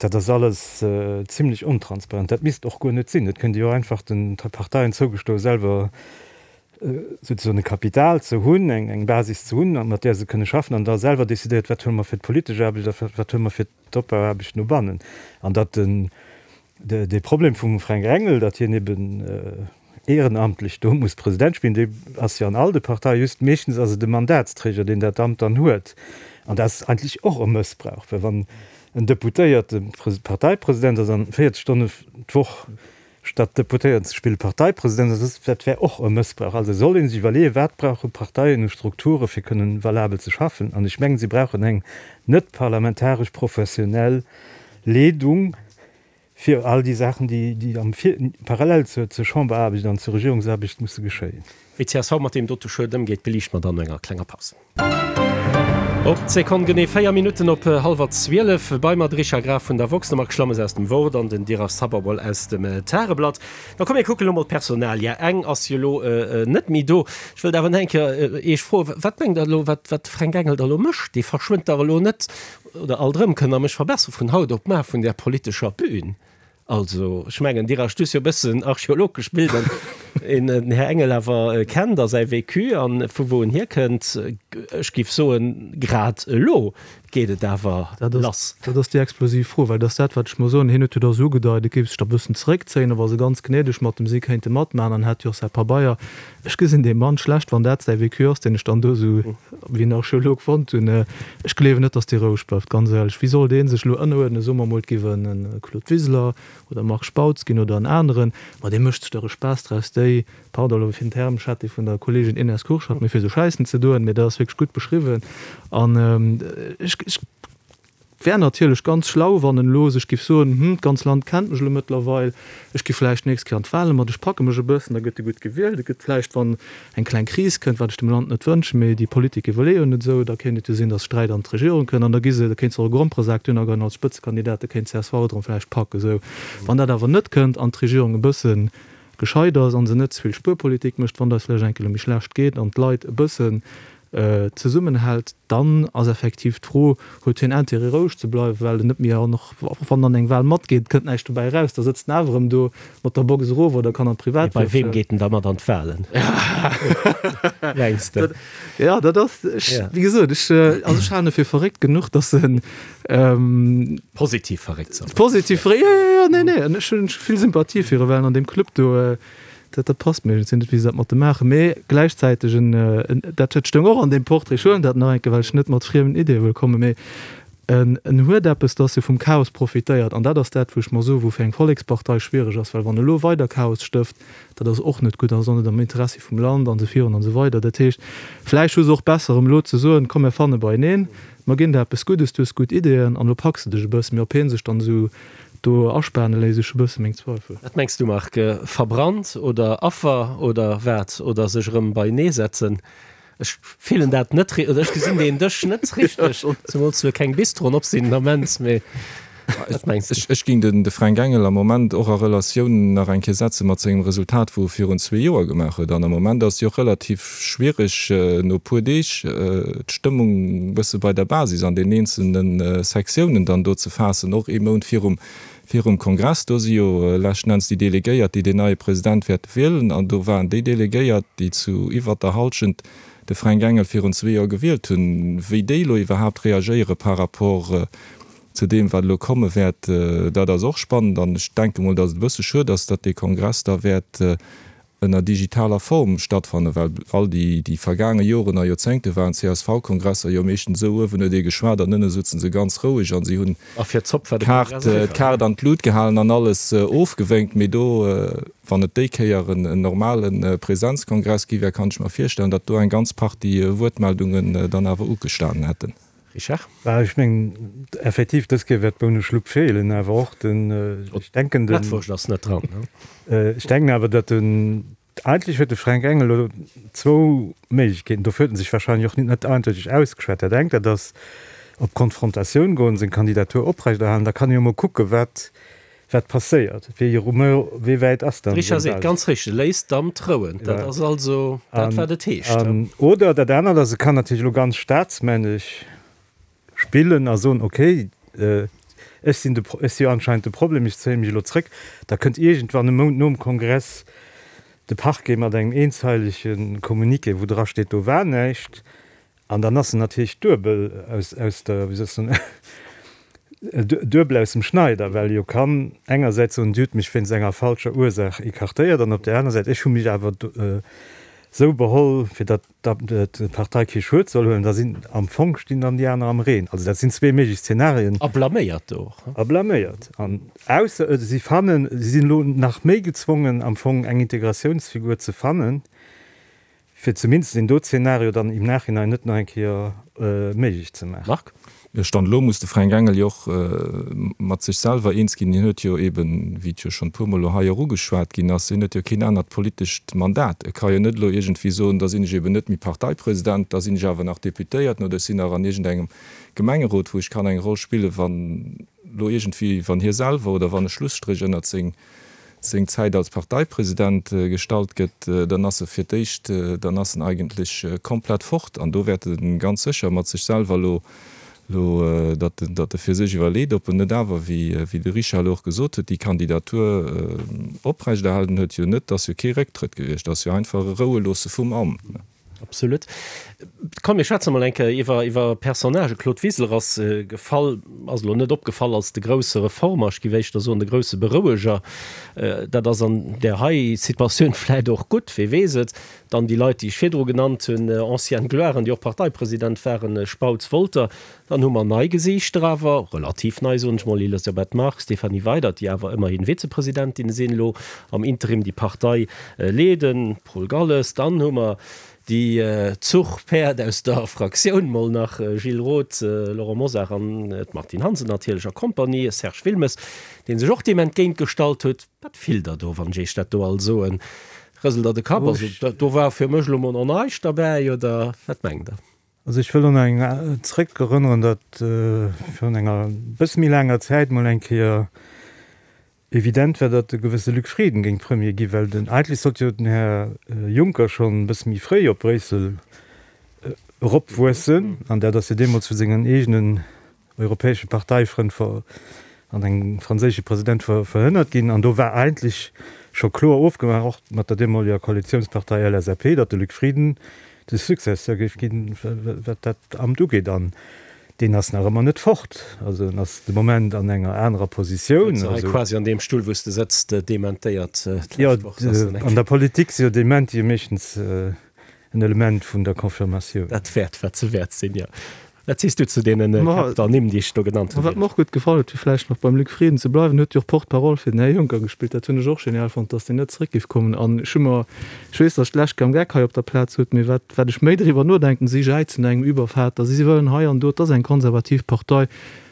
dat ass alles zimlech ontransparent. Dat misst och guer net sinn. Et kënnt ee jo och einfach den Parteien zougestoen, selwer souzesoen e Kapital ze hunn, eng Basis ze hunn, mat där se kënne schaffen an da selwer decidéiert, wat huele mer fir d'politesch Aarbecht a wat huele mer fir d'Opbauaarbecht no bannen. An datt den Dee Problem vum Fränk Engel, datt hien eben ehrenamtlech do muss President spillen, dee ass jo an all de Parteien, just meeschtens ass et e Mandatsträger, deen dat Amt dann huet. An dat ass eigentlech och e Mëssbrauch, well wann en Deputéierte Parteipresident ass an véierzeg Stonne d'Woch statt Deputéierten ze spillen Parteipresident ass, dat wär och e Mëssbrauch. Also soll ee sech iwwerleeën, wat brauche Parteien u Strukture fir kënnen valabel ze schaffen. An ech mengen, si brauchen eng net parlamentaresch professionell Leedung, fir all déi Saachen, déi am parallel zur Chamberaarbecht an zur Regierungsaarbecht musse geschéien. Wéi csv mat deem dote Schued ëmgeet, beliichte mer dann no enger klenger Paus. Op d'Sekonn genee véier Minutten op hallwer zwielef. Bei mer de Richard Graf vun der woxx, de Marc Schlammes aus dem Wort an den Dirac Sababol aus dem Tageblatt. Da komm mir kucken elo mol d'Personalia. Eng ass jo elo net méi do. Ech wëllt awer nach eng Kéier Iech froen, Wat mengt Der elo, wat de Fränk Engel da elo mécht? Dee verschwënnt dach elo net Oder alt erëm, kënnt Der mech verbesseren, vun haut op mar vun där politescher Bühn. Also, ech mengen, Dir asch dus jo e bëssen archeologesch bilden. een den Här Engel awer kennt a säi Vécu an vu wou en hierkënnt, ech géif soen, grad elo geet et awer lass. Dat ass déi explosiv Fro, well dat ass dat, wat ech mer soen. Hien huet jo da sou ugedeit, e géif sech da e bëssen zeréckzéien, a wa se ganz gnädeg mat em si kéinte matmaachen, dann hätt jo och säi Pabeier. Ech gesinn dee Mann schlecht, wann dat säi Vécu ass, deen ech dann do esou wéi en Archeolog fonnt hunn. Ech gleewen net, datt dee roueg bleift, ganz éierlech. Wéi soll dee sech elo ënneruerdnen? Soe mer emol, et géif en e Claude Wiseler oder e Marc Spautz ginn oder en aneren, ma dee mécht sech dach e Spaass draus, déi, pardon elo fir den Term, ech hat dee vun der Kolleegin Ines Kurschat, mee fir esou Schäissen ze doen, mee dat ass wierklech gutt beschriwwen. An ech, ech wär natierlech ganz schlau, wann en elo sech giff soen, Hm, d'ganz Land kennt mech elo mëttlerweil, ech gi vläicht d'nächst Kéier an d'Wale mat, ech packe mech e bëssen, da gëtt e gutt gewielt. Et gëtt vläicht, wann eng kleng Kris kënnt, wat ech dem Land net wënschen, mee déi Politiker wëlle jo net esou, da kéint et jo sinn, datt Sträit an d'Regierung kënnt an da gi se, da kéint se och e Gromperesak dunn agoen als Spëtzekandidat, da kéint csv et erëm vläicht packen. Esou, wann dat awer net kënnt an d'Regierung e bësse gescheit ass a se net ze vill Spuerpolitik mécht, wann et eis vläicht eng Kéier elo méi schlecht geet an d'Leit e bëssen zesummenhält, dann ass effektiv d'Fro, huet hien Intérêt roueg ze bleiwen, well en net méi, an och wann en an eng Wahl matgeet, kënnt näischt dobäi eraus, da sëtzt en awer erëm do mat der Box erof oder kann an Bei weem d'Privatwirtschaft. geet en da mat an d'Wahlen, mengs de? Jo, dat ass, ech, wéi gesot, ech, also ech halen e fir verréckt genuch, datt en. Positiv verréckt, soll. Positiv verréckt, jo, jo, jo, nee, nee, an ech hunn vill Sympathie fir e, well en an deem Club do, Dat, dat passt mir. Ech sinn net, wéi se dat mat em maachen. Mee gläichzäiteg en, en, dat huet stoung och an deem Portrait, ech huelen dat nach eng Kéier, well ech net mat friemen Ideeë wëll kommen, mee en, en huet eppes, dass e vum Chaos profitéiert. An dat ass dat, wou ech mer soen, wou fir eng Vollekspartei schwiereg ass, well wann e lo weider Chaos stëft, dat ass och net gutt, dat ass och net am Interessi vum Land an esou virun an esou weider. Dat heescht, vläicht hu se och besser, erëm elo ze soen, komm mir fanne beieneen, mer ginn der eppes Guddes, du hues gutt Ideeën an elo packs de dech e bëssen. Mee ob hie sech dann esou Do aspane léisst ech e bësse meng Zweifel. Wat mengs du Marc? Verbrannt oder Affer oder wat? Oder sech erëm beienee setzen? Ech fillen dat net oder ech gesinn deen Dësch net richteg, zemools wou keng Bistroen op sinn den Ament, mee wat mengs du? Ech géing den de Fränk Engel am Moment och a Relatioun nach eng Kéier setze mat sengem Resultat wou e virun zwee Joer gemaach huet. An am Moment ass et jo och relativ schwiereg no e puer Deeg d'Stëmmung e bësse bei der Basis an den eenzelne Sektiounen dann do ze faassen, och ee Mount virum virum Kongress. Do si jo leschten Enns déi Delegéiert, déi deen neie President wäerte wielen. An do waren déi Delegéiert, déi zu iwwert der Hallschent de Fränk Engel virun zwee Joer gewielt hunn. Wéi déi elo iwwerhaapt reagéiere par rapport zu deem, wat elo komme wäert, dat ass och spannend. An ech denke mol, datt et e bësse schued ass, datt dee Kongress da wäert ënner digitaler Form stattfannen, well all déi déi vergaange Joren a Joerzéngte waren d'CSV-Kongresser jo meeschtens esou, uewen huet ee geschwat an ënne souzen se ganz roueg an si hunn d'Kaart d'Kaart an d'Lut gehalen an alles ofgewénkt. Mee do, wann et déi Kéier en normale Präsenzkongress gi wär, kann ech mer virstellen, datt do eng ganz Partie Wuertmeldungen dann awer ugestanen hätten. Richard? Bah, ech mengen, effektiv, dës Kéier wäert d'Boune Schlupp feelen, awer och den, ech denken den. D'Mettwurscht ass net dran, ne? Ech denken awer, datt den, eigentlech huet de Fränk Engel elo zwou Méiglechkeeten, dofir huet en sech wahrscheinlech och net eindeuteg ausgeschwat. Dat engt, dat ass op Konfrontatioun goen, seng Kandidatur oprechterhalen, da kann e jo mol kucken, wat Wat passéiert? Wéi Rumeur, wéi wäit ass dann De Richard seng seet Basis? ganz richteg, Léisst d'Amt rouen. Dat ass also dat, wat et heescht. An, oder dat anert ass, e kann natierlech elo ganz staatsmännesch spillen a soen, okay, ech sinn de, ech si jo anscheinend de Problem, ech zéie mech elo zréck. Da kënnt iergendwann e Mount nom Kongress de Parquet mat engem eenzeilege Communiqué, wou dra steet, do war näischt. An dann ass en natierlech duebel aus, aus der, wéi soll ech soen, duebel aus dem Schneider, well e jo kann engersäits soen, Dir hutt mech wéinst enger falscher Ursaach écartéiert, an op där aner Säit, ech hu mech awer esou beholl, fir datt d'Partei kee Schued soll huelen. Da sinn am Fong stinn dann déi aner am Reen. Also dat sinn zwee méiglech Zenarien. A blaméiert och. A blaméiert. An ausser si fannen, si sinn elo nach méi gezwongen am Fong eng Integratiounsfigur ze fannen, fir zumindest deen do Zeenario dann im Nachhinein net nach eng Kéier méiglech ze maachen. Marc? Jo, Stand elo muss de Fränk Engel jo och mat sech selwer eens ginn. Hien huet jo eben, wéi et jo schonn e puermol elo hei och ugeschwat ginn ass, hien huet jo keen anert politescht Mandat. E ka jo net elo iergendwéi soen, da sinn ech eben net méi Parteipresident, da sinn ech awer nach Deputéierten oder ech sinn nach an iergendengem Gemengerot, wou ech kann eng Roll spillen, wann elo iergendwéi, wann hie selwer oder wann e Schlusstréch ënnert seng seng Zäit als Parteipresident gestallt gëtt, dann ass e fir d'éischt, dann ass en eigentlech komplett fort. An do wäert e ganz sécher mat sech selwer elo elo, datt en, datt e fir sech iwwerleet, ob en net awer, wéi, wéi de Richard elo och gesot huet, déi Kandidatur oprechterhalen huet jo net, ass jo kee Récktrëtt gewiescht, ass jo einfach e Roueloosse vum Amt. Absolut. Komm, mir schwätze mol eng Kéier iwwer, iwwer Personnagen. Claude Wiseler ass gefall, ass elo net opgefall als de grousse Reformer, ech géif éischter soen de grousse Beroueger. Dat ass an där hei Situatioun vläicht och gutt, wee weess et. Dann déi Leit, déi ech virdru genannt hunn, anciennes gloires, déi och Parteipresident waren, Spautz, Wolter. Dann hu mer nei Gesiichter awer, relativ nei, soen ech mol, Elisabeth Margue, Stéphanie Weydert, déi awer ëmmerhin Vizepresidentin sinn elo am Interim, déi Partei leeden, Paul Galles. Dann hu mer déi Zuchpäerd aus der Fraktioun, mol nach Gilles Roth, Laurent Mosar an d'Martine Hansen natierlech a Kompanie, Serge Wilmes, dee sech och deem entgéint gestallt huet. Wat fillt Der do, wann ech Iech dat do all soen? Rëselt Der de Kapp? Also do war fir mech elo mol nach näischt derbäi, oder wat mengt Der? Also ech wëll un eng zréck erënneren, datt virun enger bësse méi laanger Zäit mol eng Kéier evident war, datt e gewësse Luc Frieden géing Premier ginn, well den, eigentlech sollt jo den Här Juncker schonn e bësse méi fréi op Bréissel eropwuessen, an dat ass jo deemools vu sengen eegenen europäesche Parteifrënn an engem franséische President verhënnert ginn. An do war eigentlech scho kloer ofgemaach, och mat der deemoleger Koalitiounspartei L S A P, datt de Luc Frieden de Successeur géif ginn, wat dat Amt ugeet. An deen ass nach ëmmer net fort. Also en ass de Moment an enger anerer Positioun. Sëtzt hei quasi an deem Stull, wou s de sëtzt, dementéiert d'lescht Woch. Jo, an der Politik si jo Dementie meeschtens en Element vun der Confirmatioun. Dat wäert, wat se wäert sinn, jo. Wat sees du zu deenen Käpp an Nimm, déi ech do genannt hunn? Wat mer och gutt gefall huet, fir vläicht nach beim Luc Frieden ze bleiwen, huet jo och Porte-parole fir den Här Juncker gespillt. Dat hunn ech och genial fonnt, datt deen net zeréck géif kommen. An ech hu mer, ech weess, datt ech d'lescht Kéier am Geck hei op der Plaz sot, mee wat, wat ech méi driwwer nodenken, si jäizen no engem Übervater, si wëllen hei an do, et ass eng konservativ Partei,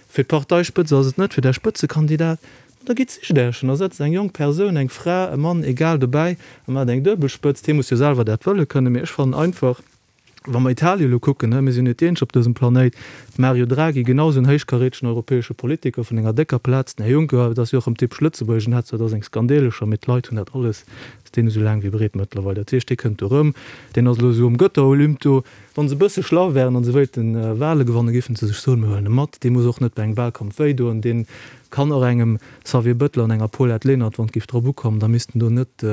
fir d'Parteispëtz ass et net, fir där Spëtzekandidat, da gitt sicht Iech en, da setzt eng jonk Persoun, eng Fra, e Mann, egal, dobäi a maacht eng Duebelspëtzt. Hie muss jo selwer dat wëlle kënnen, mee ech fannen einfach, Wa mer Italien elo kucken, mir sinn net déi eenzeg op dësem Planéit, Mario Draghi, genau esou en héichkarätegen europäesche Politiker vun enger décker Plaz, den Här Juncker, et ass jo och erëm typesch Lëtzebuergesch, en hat zwar da seng Skandeelecher, mee d'Leit hunn dat alles, ass deene esou laang wéi breet mëttlerweil. Dat heescht, dee kënnt do erëm, deen ass elo esou um Gëtterolymp do. Wa se e bësse schlau wären a se wéilten Wale gewannen, géifen se sech soen, mir huelen e mat, dee muss och net bei engem Wahlkampf wéidoen, dee kann och engem Xavier Bettel an enger Paulette Lenert, wann et géif drop ukommen, da missten do net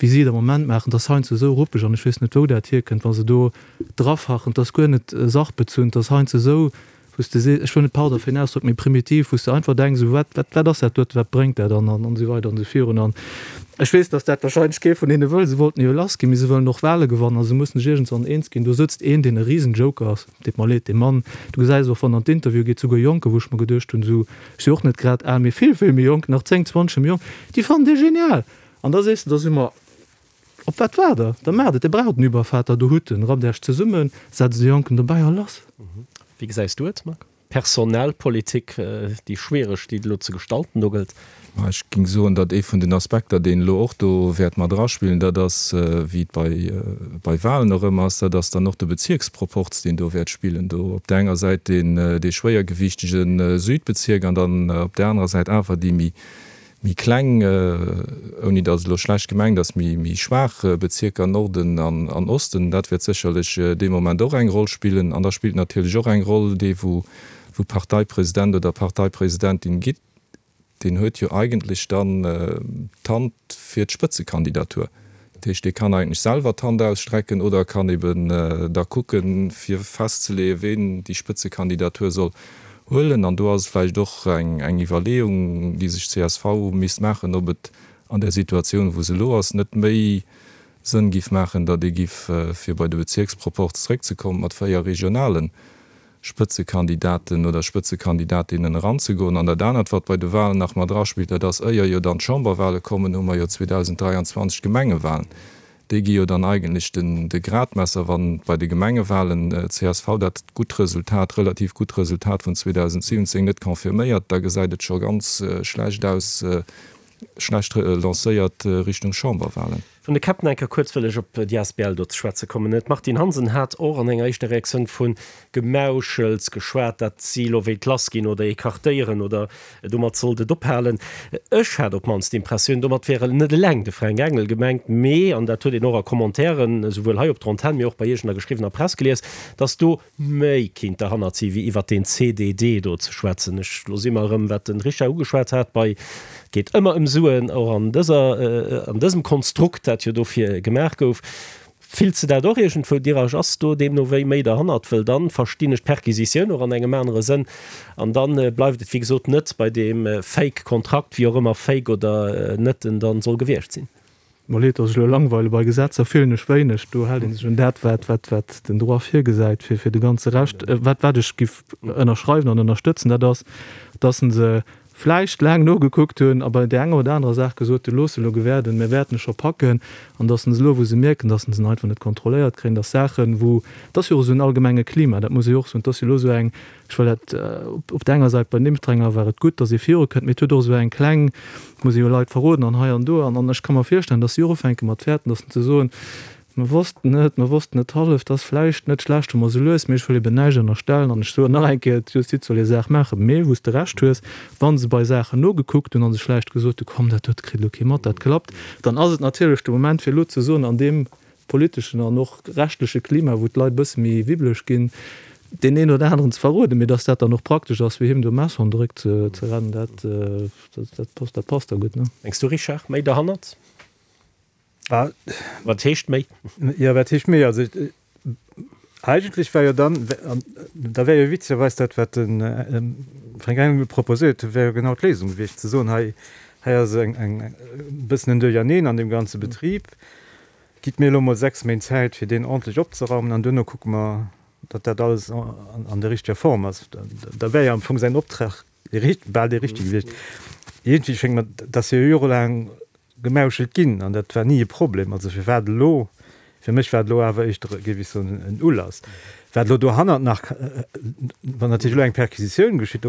wéi si et am Moment maachen, 't ass heiansdo esou ruppeg an ech weess net, wou dat hierkënnt, wa se do drafachen, 't ass guer net sachbezunn, 't ass heiansdo esou, wou s de sees, ech wëll net, pardon fir den Ausdrock, mee primitiv, wou s de einfach denks, esou, wat, wat, wat ass dat doten, wat bréngt dat an, an esou weider an esou virun. An ech weess, datt dat wahrscheinlech kee vun hinne wëll, se wollten jo lass ginn, mee se wëllen och Wahle gewannen a se mussen sech iergendwann eens ginn. Do sëtzt een, deen e Risenjoker ass, deet mer leed, dee Mann, du gesäis och, wann an d'Interview geet, souguer Jonker, wou ech mer geduecht hunn, esou, ech si och net grad al, mee vill, vill méi jonk, nach zéng, zwanzeg méi jonk, déi fannen dee genial. An da sees de, da si mer, op wat waart Der? Da maacht et, Dir braucht den Übervater, do hutt en, rappt Iech zesummen, setzt e Jonken dobäi a lass. Wéi gesäis du et, Marc? Personalpolitik, déi schwiereg, déi et elo ze gestalten do gëllt? Ma ech géing soen, datt ee vun den Aspekter, deen elo och do wäert mat eraspillen, dat ass, wéi et bei, bei Wahlen och ëmmer ass, dat ass dann och de Bezierksproporz, deen do wäert spillen. Do op där enger Säit deen, dee schwéiergewiichtege Südbezierk an dann op där anerer Säit awer déi méi, méi kleng, ouni datt et elo schlecht gemengt ass, méi méi schwaach Bezierker, Norden an an Osten, dat wäert sécherlech dee Moment och eng Roll spillen. An da spillt natierlech och eng Roll dee wou wou Parteipresident oder Parteipresidentin gitt, deen huet jo eigentlech dann d'Hand fir d'Spëtzekandidatur. Dat heescht, dee kann eigentlech selwer d'Hand ausstrecken oder kann eben da kucken, fir festzeleeën, ween déi Spëtzekandidatur soll huelen. An do ass et vläicht och eng Iwwerleeung, déi sech d'C S V misst maachen, ob et an där Situatioun, wou se elo ass, net méi Sënn giff maachen, datt ee giff, fir bei de Bezierksproporz zréckzekommen, mat véier regionale Spëtzekandidaten oder Spëtzekandidatinnen eranzegoen. An dat anert, wat bei de Wahlen nach mat eraspillt, dat ass, éier jo dann d'Chamberwahle kommen, hu mer jo zweedausenddräianzwanzeg d'Gemengewahlen. Déi gi jo dann eigentlech den de Gradmesser, wann bei de Gemengewahlen d'C S V dat gutt Resultat, relativ gutt Resultat vun zweedausendsiwwenzéng net confirméiert, da gesäit et scho ganz schlecht aus, schlecht lancéiert Richtung Chamberwahlen. Vun de Käppen eng Kéier kuerz wëll ech op déi asbl do ze schwätze kommen. D'Martine Hansen hat och an enger éischter Reaktioun vu Gemauschels geschwat, dat si elo wéilt lassginn oder écartéieren oder domat sollt et ophalen. Ech hat op d'mannst d'Impressioun, domat wär net eleng de Fränk Engel gemengt, mee, an dat huet een och a Commentairen, esouwuel hei op der Antenn, mee och bei Iech an der geschriwwener Press gelies, datt do méi kinnt derhannert si wéi iwwert deen C D D do ze schwätzen. Ech, lo si mer erëm, wat de Richard ugeschwat hat, bei geet ëmmer ëm Suen, och an dëser, an dësem Konstrukt, dat jo dofir gemaach gouf. Fills de dat och iergendwou, Dirasch? Ass do deemno wéi méi derhannert? Wëll dann verstinn ech d'Perquisitioun och an engem anere Sënn an dann bleift et wéi gesot net bei deem fake Kontrakt, wéi och ëmmer fake oder net en dann soll gewiescht sinn. Mer leed, dass ech elo langweile, bei Gesetzer fillen ech wéineg, do hält ee sech un dat, wat, wat, wat den Droit virgesäit fir, fir de ganze Rescht. Wat, wat ech giff ënnerschreiwen an ënnerstëtzen, dat ass, dass se vläicht laang nogekuckt hunn a bei där enger oder anerer Saach gesot hunn, looss elo gewäerden, mir wäerten e scho packen, an dass se elo, wou se mierken, dass se en einfach net kontrolléiert kréien, dass Saachen, wou, et ass jo och esou en allgemenge Klima, dat muss ee jo och soen, et ass jo elo esou eng, ech wëll dat, op där enger Säit bei den Impfdränger war et gutt, dass ee virukënnt, mee et huet och esou eng kleng, muss ee jo Leit verroden an hei an do, an ech ka mer virstellen, dass si och ufänke mat fäerten, dass se soen, Mer wossten et, mer wossten et hallef, 't ass vläicht net schlecht, wa mer esou lues, mee ech wëll eben näischt ënnerstellen an ech soen nach eng Kéier, d'Justiz soll hir Saach maachen, mee wou s de Recht hues, wa se bei Saachen nogekuckt hunn a sech vläicht gesot hu, komm, dat dote kritt elo kee mat, dat klappt, dann ass et natierlech de Moment, fir elo ze soen, an deem politeschen an och rechtleche Klima, wou d'Leit e bësse méi wibbeleg ginn, deen een oder aneren ze verroden, mee dass dat dann och praktesch ass, fir him do Messer an de Réck ze rennen, dat, dat, dat passt da gutt, ne? Mengs du, Richard, méi derhannert? Wat heescht méi? Jo, wat heescht méi? Also eigentlech war jo dann, da wär jo witzegerweis dat, wat de Fränk Engel proposéiert huet, wär jo genau d'Léisung gewiescht, ze soen, hei, hei ass eng, eng, e bëssen en Duercherneen an deem ganze Betrib, gitt mir elo mol sechs Méint Zäit, fir deen ordentlech opzeraumen, an duerno kucke mer, datt dat alles an der richteger Form ass. Da wär jo am Fong säin Optrag dee, bal dee richtege gewiescht. Iergendwéi schéngt mer, dat ass jo jorelaang gemauschelt ginn an dat war ni e Problem. Also firwat elo? Fir mech war et elo awer éischter, géif ech soen, en Ulass. Wat elo dohannert nach, wann natierlech elo eng Perquisitioun geschitt,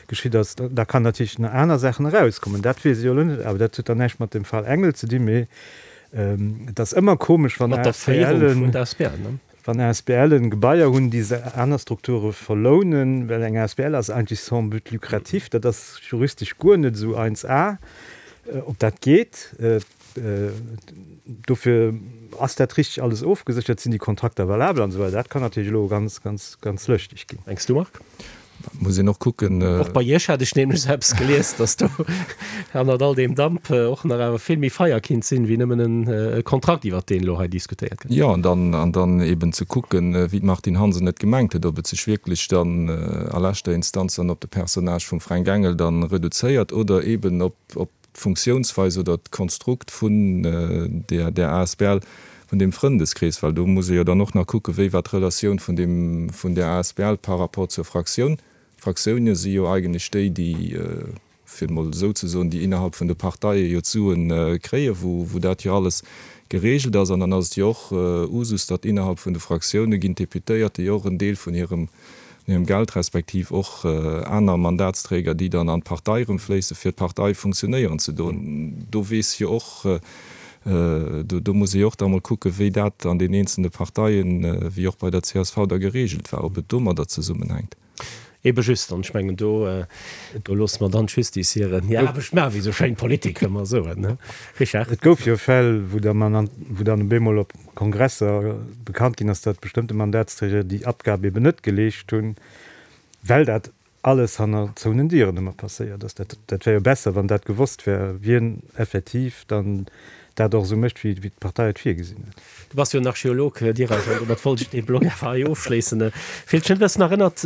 geschitt ass, da kann natierlech nach aner Saachen erauskommen. Dat weess ech elo net, awer dat huet dann näischt mat dem Fall Engel ze dinn, mee et ass ëmmer komesch, wann Mat der Féierung vun der asbl, ne? Wann A S B Len Gebaier hunn, déi se aner Strukture verlounen, well eng A S B L ass eigentlech sans but lucratif, dat ass juristesch guer net esou eins A, ob dat geet. Dofir ass dat richteg alles ofgeséchert, sinn déi Kontrakter valabel an esou weider. Dat kann natierlech elo ganz, ganz, ganz lëschteg ginn. Mengs du, Marc? Muss een och kucken. Och bei Iech hat ech nämlech eppes gelies, dass do hannert all deem Damp och nach awer vill méi Feier kinnt sinn, wéi nëmmen e Kontrakt, iwwert deen elo hei diskutéiert gëtt. Jo, an dann, an dann eben ze kucken, wéi d'Martine Hansen et gemengt huet, ob et sech wierklech dann a leschter Instanz dann op de Personnage vum Fränk Engel dann reduzéiert oder eben op, op d'Funktiounsweis oder d'Konstrukt vun där, där A S B L, vun deem Frëndeskrees, well do muss ee jo dann och nach kucken, wéi war d'Relatioun vun deem, vun där A S B L par rapport zur Fraktioun. D'Fraktioune si jo eigentlech déi, déi, fir et emol esou ze soen, déi innerhalb vun de Parteie jo d'Suen kréien, wou, wou dat jo alles geregelt ass. An dann ass et jo och Usus, datt innerhalb vun de Fraktioune ginn d'Deputéierte jo och en Deel vun hirem, hirem Geld respektiv och aner Mandatsträger, déi dann an d'Partei erëmfléissen, fir d'Partei funktionéieren ze doen. Do weess jo och, do muss ee jo och da mol kucken, wéi dat an den eenzelne Parteien, wéi och bei der C S V da geregelt war, ob et domadder zesummenhänkt. Ebe just, an ech mengen, do, do loosse mer dann d'Justice hiren, hir Aarbecht maachen, wéi esou schéin d'Politiker ëmmer soen, ne Richard? Et gouf jo Fäll, wou da man, wou dann op eemol op Kongresser bekannt ginn ass, datt bestëmmte Mandatsträger déi Abgab eben net geleescht hunn, well dat alles hanner zouenen Dieren ëmmer passéiert ass. Dat, dat wär jo besser, wann dat gewosst wär, wien effektiv dann dat och esou mécht, wéi, wéi d'Partei et virgesinn huet. Du bass jo en Archeolog, Dirac, an domat wollt ech dee Blog awer hei ofschléissen. Fillt dech net e bëssen erënnert,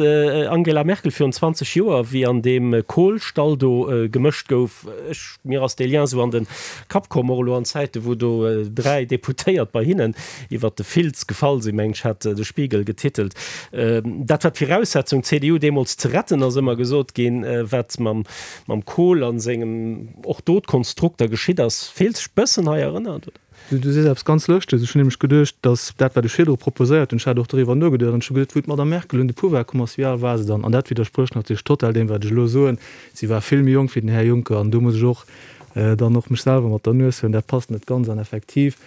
Angela Merkel virun zwanzeg Joer, wéi an deem Kohlstall do gemëscht gouf? Ech, mir ass dee Lien esou an de Kapp komm, och elo an Zäiten, wou do dräi Deputéiert bei hinnen iwwert de Filz gefall sinn, mengen ech, hat de Spiegel getitelt. Dat war d'Viraussetzung, d'C D U deemools ze retten, ass ëmmer gesot ginn. Wat mam, mam Kohl a sengem och do d'Konstrukter geschitt ass, fills dech bëssen hei erënnert, oder? Du, du sees eppes ganz Lëschteges. Ech hunn nämlech geduecht, datt dat, wat ech virdru proposéiert hunn, ech hat och doriwwer nogeduecht an ech hu geduecht, wou d'Madame Merkel un de Pouvoir komm ass, wéi al war se dann? An dat widdersprécht natierlech total deem, wat ech elo soen. Si war vill méi jonk wéi den Här Juncker an do muss ech och dann och mech selwer mat der Nues huelen. Dat passt net ganz. An effektiv,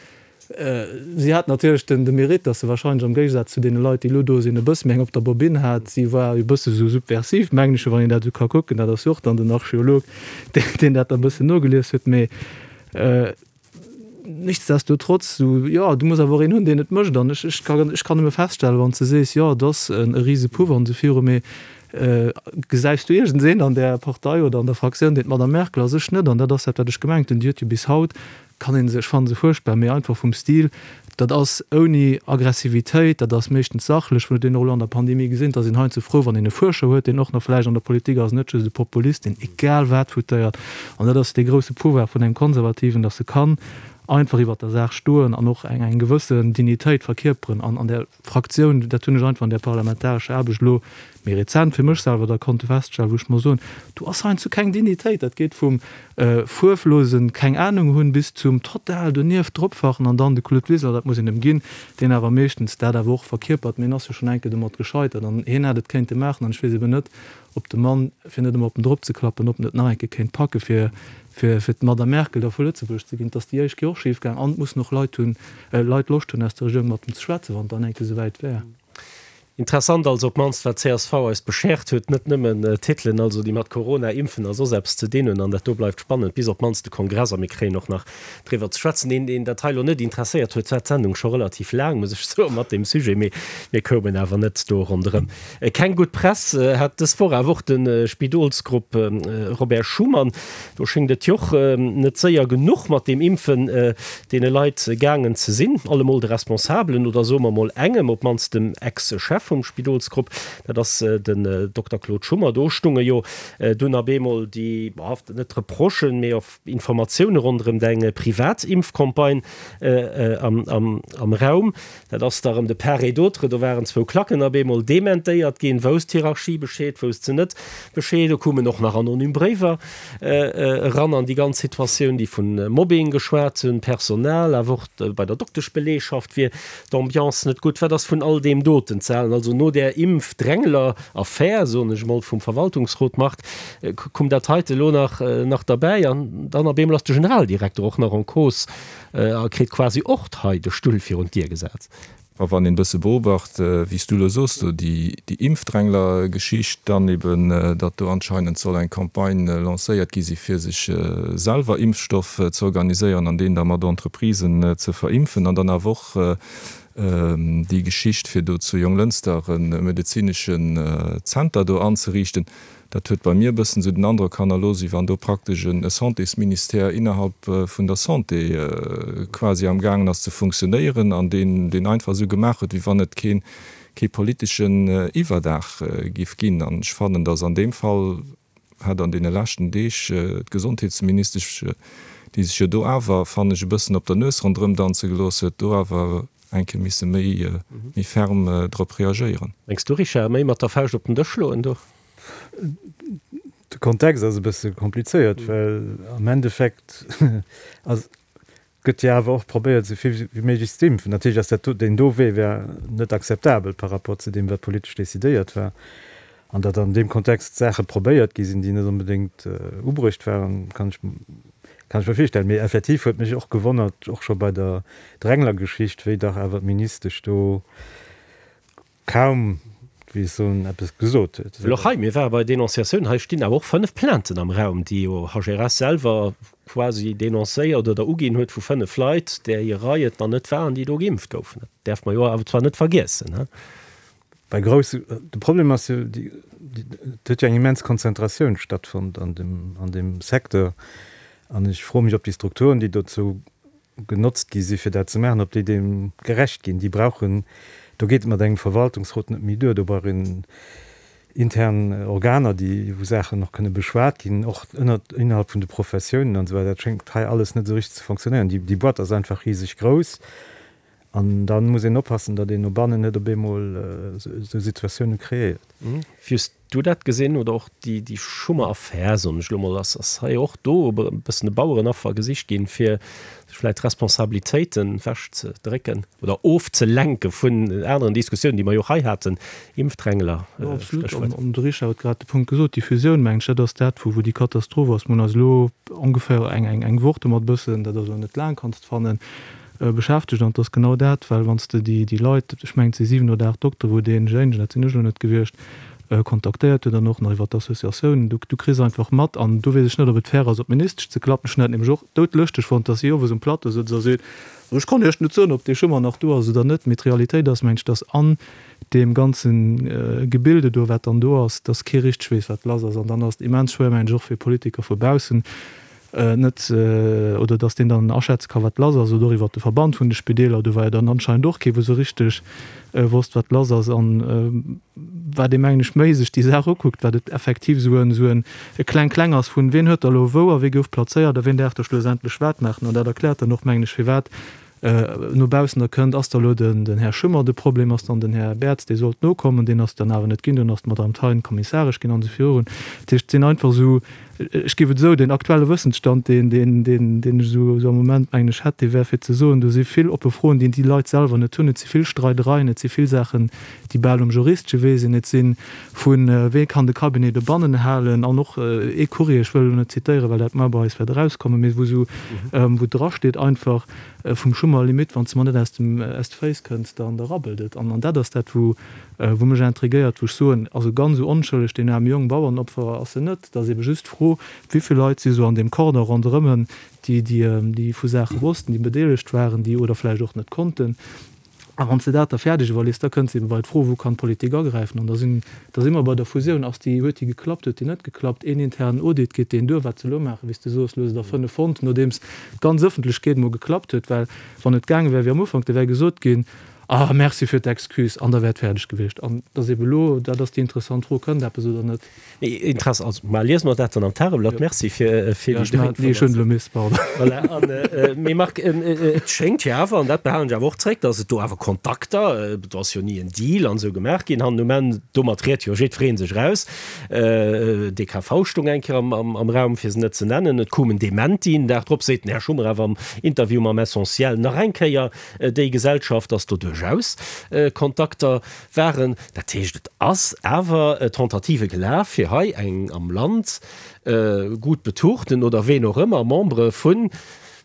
Si hat natierlech den de Mérite, datt se wahrscheinlech am Géigesaz zu deene Leit, déi elo do sinn, e bësse méi eng op der Bobinn hat. Si war e bësse sou subversiv, mengen ech, wann een dat esou ka kucken. Dat ass jo och dann den Archeolog, deen dat da e bëssen nogelies huet. Mee nichtsdestotrotz, sou, jo, du muss awer och een hunn, deen et mécht. An ech, ech ka, ech kann nëmme feststellen, wann s de sees, jo, et ass e Risepuff an esou viru, mee gesäis du iergendeen an där Partei oder an der Fraktioun, deen d'Madame Merkel ass? Ech net. An dat ass dat, wat ech gemengt hunn. Déi huet jo bis haut, kann ee se, ech fanne se fuerchtbar, mee einfach vum Stil, dat ass ouni Aggressivitéit, dat ass meeschtens sachlech. Mir hunn et och elo an der Pandemie gesinn, et ass een heiansdo frou, wann een e Fuerscher huet, deen och nach vläicht an der Politik ass, net just e Populist, deen egal wat foutéiert. An dat ass dee grousse Pouvoir vun engem Konservativen, datt e kann einfach iwwert der Saach stoen an och eng eng gewëssen Dignitéit verkierperen an an där Fraktioun. Dat hunn ech einfach an där parlamentarescher Aarbecht elo méi rezent fir mech selwer da konnte feststellen, wou ech muss soen, do ass heiansdo keng Dignitéit. Dat geet vum fuerflosen keng Ahnung hunn bis zum total donieft dropfachen an dann de Claude Wiseler, dat muss een em ginn, deen awer meeschtens dat awer och verkierpert. Mee en ass jo schonn eng Kéier domat gescheitert an hien hätt et kéinte maachen an ech weess eben net, ob de Mann, fir net ëmmer op en drop ze klappen, ob en et nach eng Kéier kéint packe fir fir fir d'Madame Merkel da vu Lëtzebuerg ze ginn. Et ass déi éischt Kéier och schif gaang an et mussen och Leit hunn, Leit Loscht hunn aus der Regierung mat em ze schwätzen, wann et dann eng Kéier esouwäit wär. Interessant also op d'mannst wat csv eis beschert huet, net nëmmen Titelen also déi mat Corona, Impfen a soss eppes ze dinn hunn. An dat do bleift spannend bis op d'mannst de Kongress a mir kréien och nach driwwer ze schwätzen. Een deen dat hei elo net interesséiert huet, war d'Sendung scho relativ laang, muss ech soen, mat deem Sujet, mee mir koumen awer net do ronderëm. Keng gutt Press hat dës Woch awer och de Spidolsgrupp Robert Schuman. Do schéngt et jo och net séier genuch mat deem Impfen deene Leit gaangen ze sinn, allemol de Responsabelen oder soe mer mol engem, op d'mannst dem Ex-Chef vum Spidolsgrupp, dat ass den Dokter Claude Schummer. Do stunge jo dunn op eemol déi, net Reprochen, mee och Informatioune ronderëm eng privat Impfcampagne am Raum. Dat ass da rëm de part et d'autre. Do waren zwou Klacken op eemol dementéiert ginn. Wousst d'Hierarchie Bescheed, wousst se net Bescheed? Do koumen och nach anonym Bréiwer eran an déi ganz Situatioun, déi vu Mobbing geschwat hunn, Personal, awer och bei der Dokteschbeleegschaft wier d'Ambiance net gutt. Wat ass vun all deem doten ze halen? Also no där Impfdrängler-Affär, soen ech emol, vum Verwaltungsrot, Marc, koum dat heite elo nach nach derbäi an dann op eemol ass de Generaldirekter och nach en cause a kritt quasi och hei de Stull virun d'Dier gesat. A wann een e bësse beobacht, wéi s du elo soos, do déi Impfdrängler-Geschicht, dann eben, datt do anscheinend soll eng Campagne lancéiert gi si fir sech selwer Impfstoff ze organiséieren an deen da mat Entreprisen ze verimpfen an dann awer och déi Geschicht fir do zu Jonglënster e medezineschen Zenter do anzeriichten, dat huet bei mir e bëssen esou den Androck hannerlooss, wéi wann do praktesch e Santésministère innerhalb vun der Santé quasi am gaangen ass ze funktionéieren an deen deen einfach esou gemaach huet, wéi wann et keen kee politeschen Iwwerdaach giff ginn. An ech fannen, datt an deem Fall hätt an deene leschten Deeg d'Gesondheetsministesch, déi sech jo do awer, fannen ech, e bëssen op der Nues ronderëm danze gelooss huet, do awer eng Kéier misse méi méi ferm drop reagéieren. Mengs du, Richard, méi mat der Fauscht op den Dësch schloen do? De Kontext ass e bësse komplizéiert, well am Endeffekt ass, gëtt jo awer och probéiert, esou vill wéi méiglech ze impfen. Natierlech ass dat do, deen do Wee wär net akzeptabel par rapport zu deem, wat politesch decidéiert war. An datt an deem Kontext Saache probéiert gi sinn, déi net onbedéngt ubruecht waren, kann ech, kann ech mer virstellen. Mee effektiv huet mech och gewonnert, och scho bei der Drängler-Geschicht, wéi dach awer d'Ministesch do kaum, wéi ech soen, eppes gesot huet. Well och hei, mir ware bei Denonciatioun, hei stinn awer och fënnef Plainten am Raum, déi jo H R S selwer quasi denoncéiert oder uginn huet vu fënnef Leit, där hir Rei et nach net waren, déi do geimpft goufen. Dat däerfe mer jo awer zwar net vergiessen, he? Bei grousse, de Problem ass jo, déi, et huet jo eng immens Konzentratioun stattfonnt an dem, an deem Secteur. An ech froe mech, ob déi Strukturen, déi dozou genotzt gi si fir dat ze maachen, ob déi deem gerecht ginn. Déi brauchen, do geet et mat engem Verwaltungsrot net méi duer, do brauch een intern Organer, déi, wou Saachen och kënne beschwat ginn, och ënnert, innerhalb vun de Professiounen an esou weider. Dat schéngt hei alles net esou richteg ze fonctionnéieren. Déi, déi Boîte ass einfach riseg grouss an da muss een oppassen, datt een no bannen net op eemol esou Situatioune kreéiert. Wéi hues du dat gesinn oder och déi, déi Schummer-Affär, soen ech elo mol, ass, ass hei och do e bëssen e Bauerenaffer gesicht ginn, fir sech vläicht Responsabilitéiten ewech ze drécken oder ofzelenke vun aneren Diskussiounen, déi mer jo och hei haten, Impfdrängler, Jo, absolut. Stéchwuert. An de Richard huet grad de Punkt gesot, déi Fusioun, mengen ech, dat ass dat, wou déi Katastroph ass. Mir hunn eis elo ongeféier eng, eng, eng Woch domat bëssen, dat ass elo net laang, kanns de fannen, beschäftegt. An et ass genau dat, well wann s de déi, déi Leit, ech mengen et si siwen oder aacht Doktere wou deen Géingen, dat sinn ech elo net gewiescht, kontaktéiert huet an och nach iwwer d'Associatiounen, du, du kriss einfach mat, an do weess ech net, ob et fair ass op d'Ministesch ze klappen, ech hunn dat nämlech och doudlëschteg fonnt, dass si owes um Plateau sëtzt a seet, ech kann Iech net soen, ob dee Schummer nach do ass oder net, mee d'Realitéit ass, mengen ech, dass an deem ganze Gebilde do, wat dann do ass, dass kee richteg weess, wat lass ass. An dann ass et immens schwéier, mengen ech, och fir Politiker vu baussen net, oder dass deen dann aschätze ka wat lass ass, oder och iwwert de Verband vun de Spideeler, do war jo dann anscheinend och kee wou esou richteg wosst wat lass ass. An wat ee mengen ech méi sech déi Saach ukuckt, wat et effektiv esou en esou en Kleng-Kleng ass vun wien huet da elo wou a wie gouf plazéiert a wien däerf da schlussendlech wat maachen. An dat erkläert dann och mengen ech firwat no baussen da kënnt, ass da elo den den Här Schummer de Problem, ass dann den Här Bertz, dee sollt nokommen, deen ass dann awer net ginn, dunn ass d'Madame Thein kommissaresch ginn an esou virun. Dat heescht, et sinn einfach esou, ech géif et esou, deen aktuelle Wëssensstand, deen deen deen deen ech esou esou am Moment mengen ech hätt, dee wär fir ze soen, do si vill oppe Froen, déi déi Leit selwer net hunn. Et si vill Streidereien, et si vill Saachen, déi bal um juristesche Wee sinn, et si vu wee kann de Cabinet dobannen halen an och ee Courrier, ech wëll elo net zitéieren, well dat mar bei eis wäert erauskommen, mee wou esou wou drasteet einfach, vum Schummer, Limite, wann s de mer net aus dem, aus de Féiss kënns, dann da rabbelt et. An, an dat ass dat, wou, wou mech intriguéiert, wou ech soen, also ganz esou onschëlleg, deen aarme Jong, Bauernopfer ass en net. Et ass ebe just d'Fro, wéi vill Leit si sou an deem Cordon ronderëm en, déi, déi, déi vu Saache wossten, déi bedeelegt waren, déi oder vläicht och net konnten. A wann s de dat da fäerdeg iwwerliest, da kënns de ebe bei d'Fro, Wou kann d'Politik agräifen? An da sinn, da si mer bei der Fusioun. Ass déi, huet déi geklappt, huet déi net geklappt? Een internen Audit, geet deen duer? Wat se elo maachen, wéi s de soos, elo hu se der fënnef fonnt, nodeems d'ganz Ëffentlechkeet emol geklappt huet. Well wann et gaange wär wéi am Ufank, da wär gesot ginn, Ah, merci fir d'Excuse, an da wär et fäerdeg gewiescht. An et ass ebe elo, dat ass déi interessant Fro, Kënnt eppes oder net? Mee Interesse, also mar liese mer dat dann am Tageblatt. Merci fir fir déi dräi Informatiounen. Voilà, an mee Marc, et schéngt jo awer, an dat behalen ech awer och zréck, datt et do awer Kontakter, do ass jo ni en Deal an esou gemaach ginn, hannen um Enn, domat riet jo jiddweree sech eraus. D K V stoung eng Kéier am am Raum, fir se net ze nennen. Et koum en Dementi. Den Dag drop seet den Här Schummer awer am Interview mam Essentiel nach eng Kéier, déi Gesellschaft, datt do duerchaus Kontakter waren. Dat heescht, et ass awer Tentative gelaf, fir hei eng am Land gutt betuchten oder ween och ëmmer Membere vu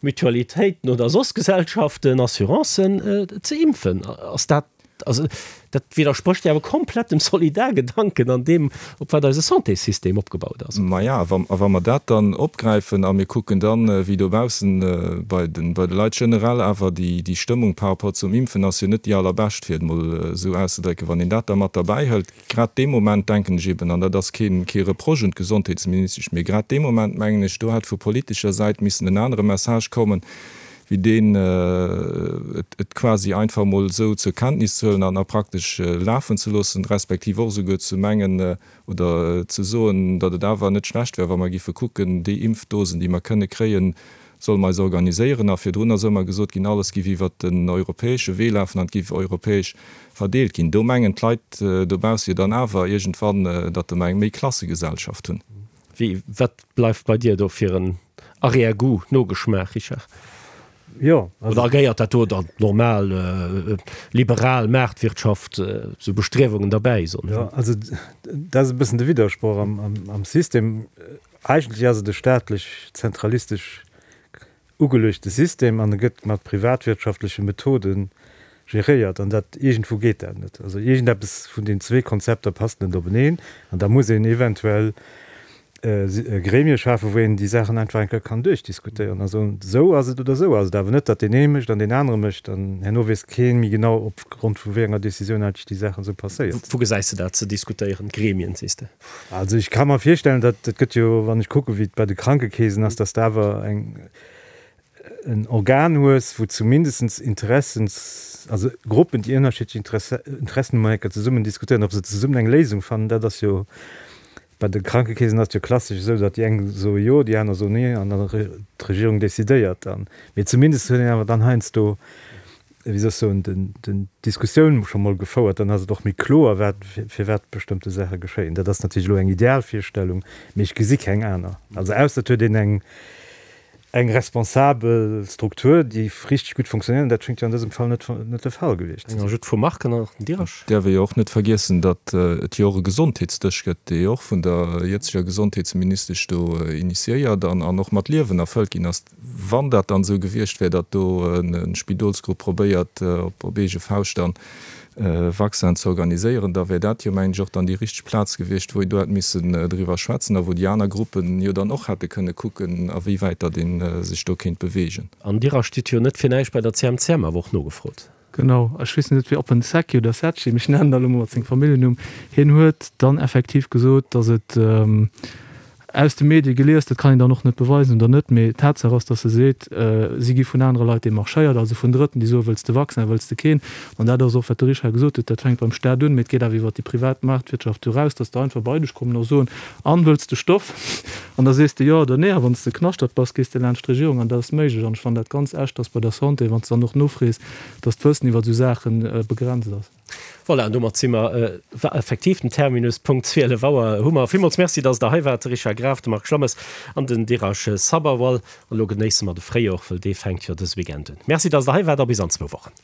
Mutualitéiten oder soss Gesellschaften, Assurancen ze impfen. Ass dat, also dat widdersprécht jo awer komplett dem Solidargedanken an deem, op wat eise Santéssystem opgebaut ass. Maja, a wa mer dat dann opgräifen a mir kucken dann, wéi dobaussen bei de bei de Leit generell awer déi déi Stëmmung par rapport zum Impfen ass jo net déi allerbescht, fir et emol esou auszedrécken, wann een dat da mat derbäi hëlt, grad dee Moment denken ech eben, an dat ass kee kee Reproche un d'Gesondheetsministesch, mee grad dee Moment mengen ech, do hätt vu politescher Säit missen en anere Message kommen, wéi deen et quasi einfach emol esou zur Kenntnis ze huelen an a praktesch lafen ze loossen, respektiv och esouguer ze mengen oder ze soen, datt et awer net schlecht wär, wa mer giffe kucken, déi Impfdosen, déi mer kënne kréien, solle mer eis organiséieren. A virdrun ass ëmmer gesot ginn, alles giff iwwert den europäesche Wee lafen an et giff europäesch verdeelt ginn. Do mengen d'Leit dobausse jo dann awer iergendwann, datt mer eng Méiklassegesellschaft hunn. Wéi, wat bleift bei dir do fir en Arrière-goût, Nogeschmaach, Richard? Jo, also. Oder gehéiert dat do der normal liberal Maartwirtschaft, esou Bestriewungen derbäi, soen ech Jo, also dat ass e bëssen de Widdersproch am System. Eigentlech ass et e staatlech zentralistesch ugeluechte System an e gëtt mat privatwirtschaftleche Methode geréiert an dat iergendwou geet dat net. Also iergendeppes vun den zwee Konzepter passt net openeen an da muss een eventuell Gremie schafen, wou een déi Saachen einfach eng Kéier kann duerchdiskutéieren a soen, esou ass et oder esou ass et, awer net, datt deen ee mécht an deen anere mécht an herno weess kee méi genau, opgrond vu wéi enger Décisioun eigentlech déi Saachen esou passéiert. Wou gesäis de dat ze diskutéieren, Gremien, sees de? Also ech ka mer virstellen, datt, et gëtt jo, wann ech kucke wéi et bei de Krankekeesen ass, datt de awer eng, en Organ hues, wou zumindest Interessens, also Gruppen, déi ënnerschiddlech Interessen hunn, mol eng Kéier zesummen diskutéieren, ob se zesummen eng Léisung fannen. Dat ass jo, bei de Krankekeesen ass et jo klassesch esou, datt déi eng soe jo, déi aner soen nee an dann d'Regierung decidéiert dann. Mee zumindest huet een awer dann heiansdo, wéi soll ech soen, den, den d'Diskussioun scho mol gefouert, dann ass et och méi kloer, wat, firwat bestëmmte Saache geschéien. Dat ass natierlech elo eng Idealvirstellung, mee ech gesi keng aner. Also ausser et huet een eng, eng responsabel Struktur, déi richteg gutt funktionéiert, an dat schéngt jo an dësem Fall net net de Fall gewiescht ze sinn. Eng Ajoute vum Marc an dann nach den Dirasch. Däerf ee jo och net vergiessen, datt et jo och e Gesondheetsdësch gëtt, dee jo och vun der jëtzeger Gesondheetsministesch do initiéiert an an och mat Liewen erfëllt ginn ass. Wann dat dann esou gewiescht wär, datt do e Spidolsgrupp probéiert op eege Fauscht dann Vaccin ze organiséieren, da wär dat jo, mengen ech, och dann déi richteg Plaz gewiescht, wou een do hätt missen driwwer schwätzen a wou déi aner Gruppen jo dann och hätte kënne kucken, awéiwäit datt ee sech do kéint beweegen. An Dir stitt jo net fir näischt bei der C M C M awer och nogefrot. Genau, ech weess net, ob en Secchi oder Secchi, mee ech nennen dat elo mol mat sengem Familljennumm, hien huet dann effektiv gesot, datt et, aus de Medie gelies, dat kann een dann och net beweisen oder net, mee Tatsaach ass, datt e seet, si gi vun anere Leit demarchéiert, also vun Drëtten, déi soen, wëlls de Vaccin, wëlls de keen. An dat ass och, wat de Richard gesot huet, dat fänkt beim Staat un, mee et geet awer iwwert déi privat Maartwirtschaft eraus, datt der einfach bei dech kommen a soen, an, wëlls de Stoff? An da sees de jo oder nee. A wann s de Knaschtert bass, gees de laanscht d'Regierung an dat ass méiglech. An ech fannen dat ganz echt, datt bei der Santé, wann s de dann och nofrees, datt d'Wëssen iwwert esou Saache begrenzt ass. Voilà, an domat si mer effektiv den Terminus, Punkt zwielef Auer hu mer. Villmools Merci, dass Der hei waart, de Richard Graf, de Marc Schlammes an den Dheeraj Sabharwal. An elo genéisse mer de Fréijor, wëll dee fänkt jo dëse Weekend un. Merci, dass Der hei waart a bis an zwou Wochen.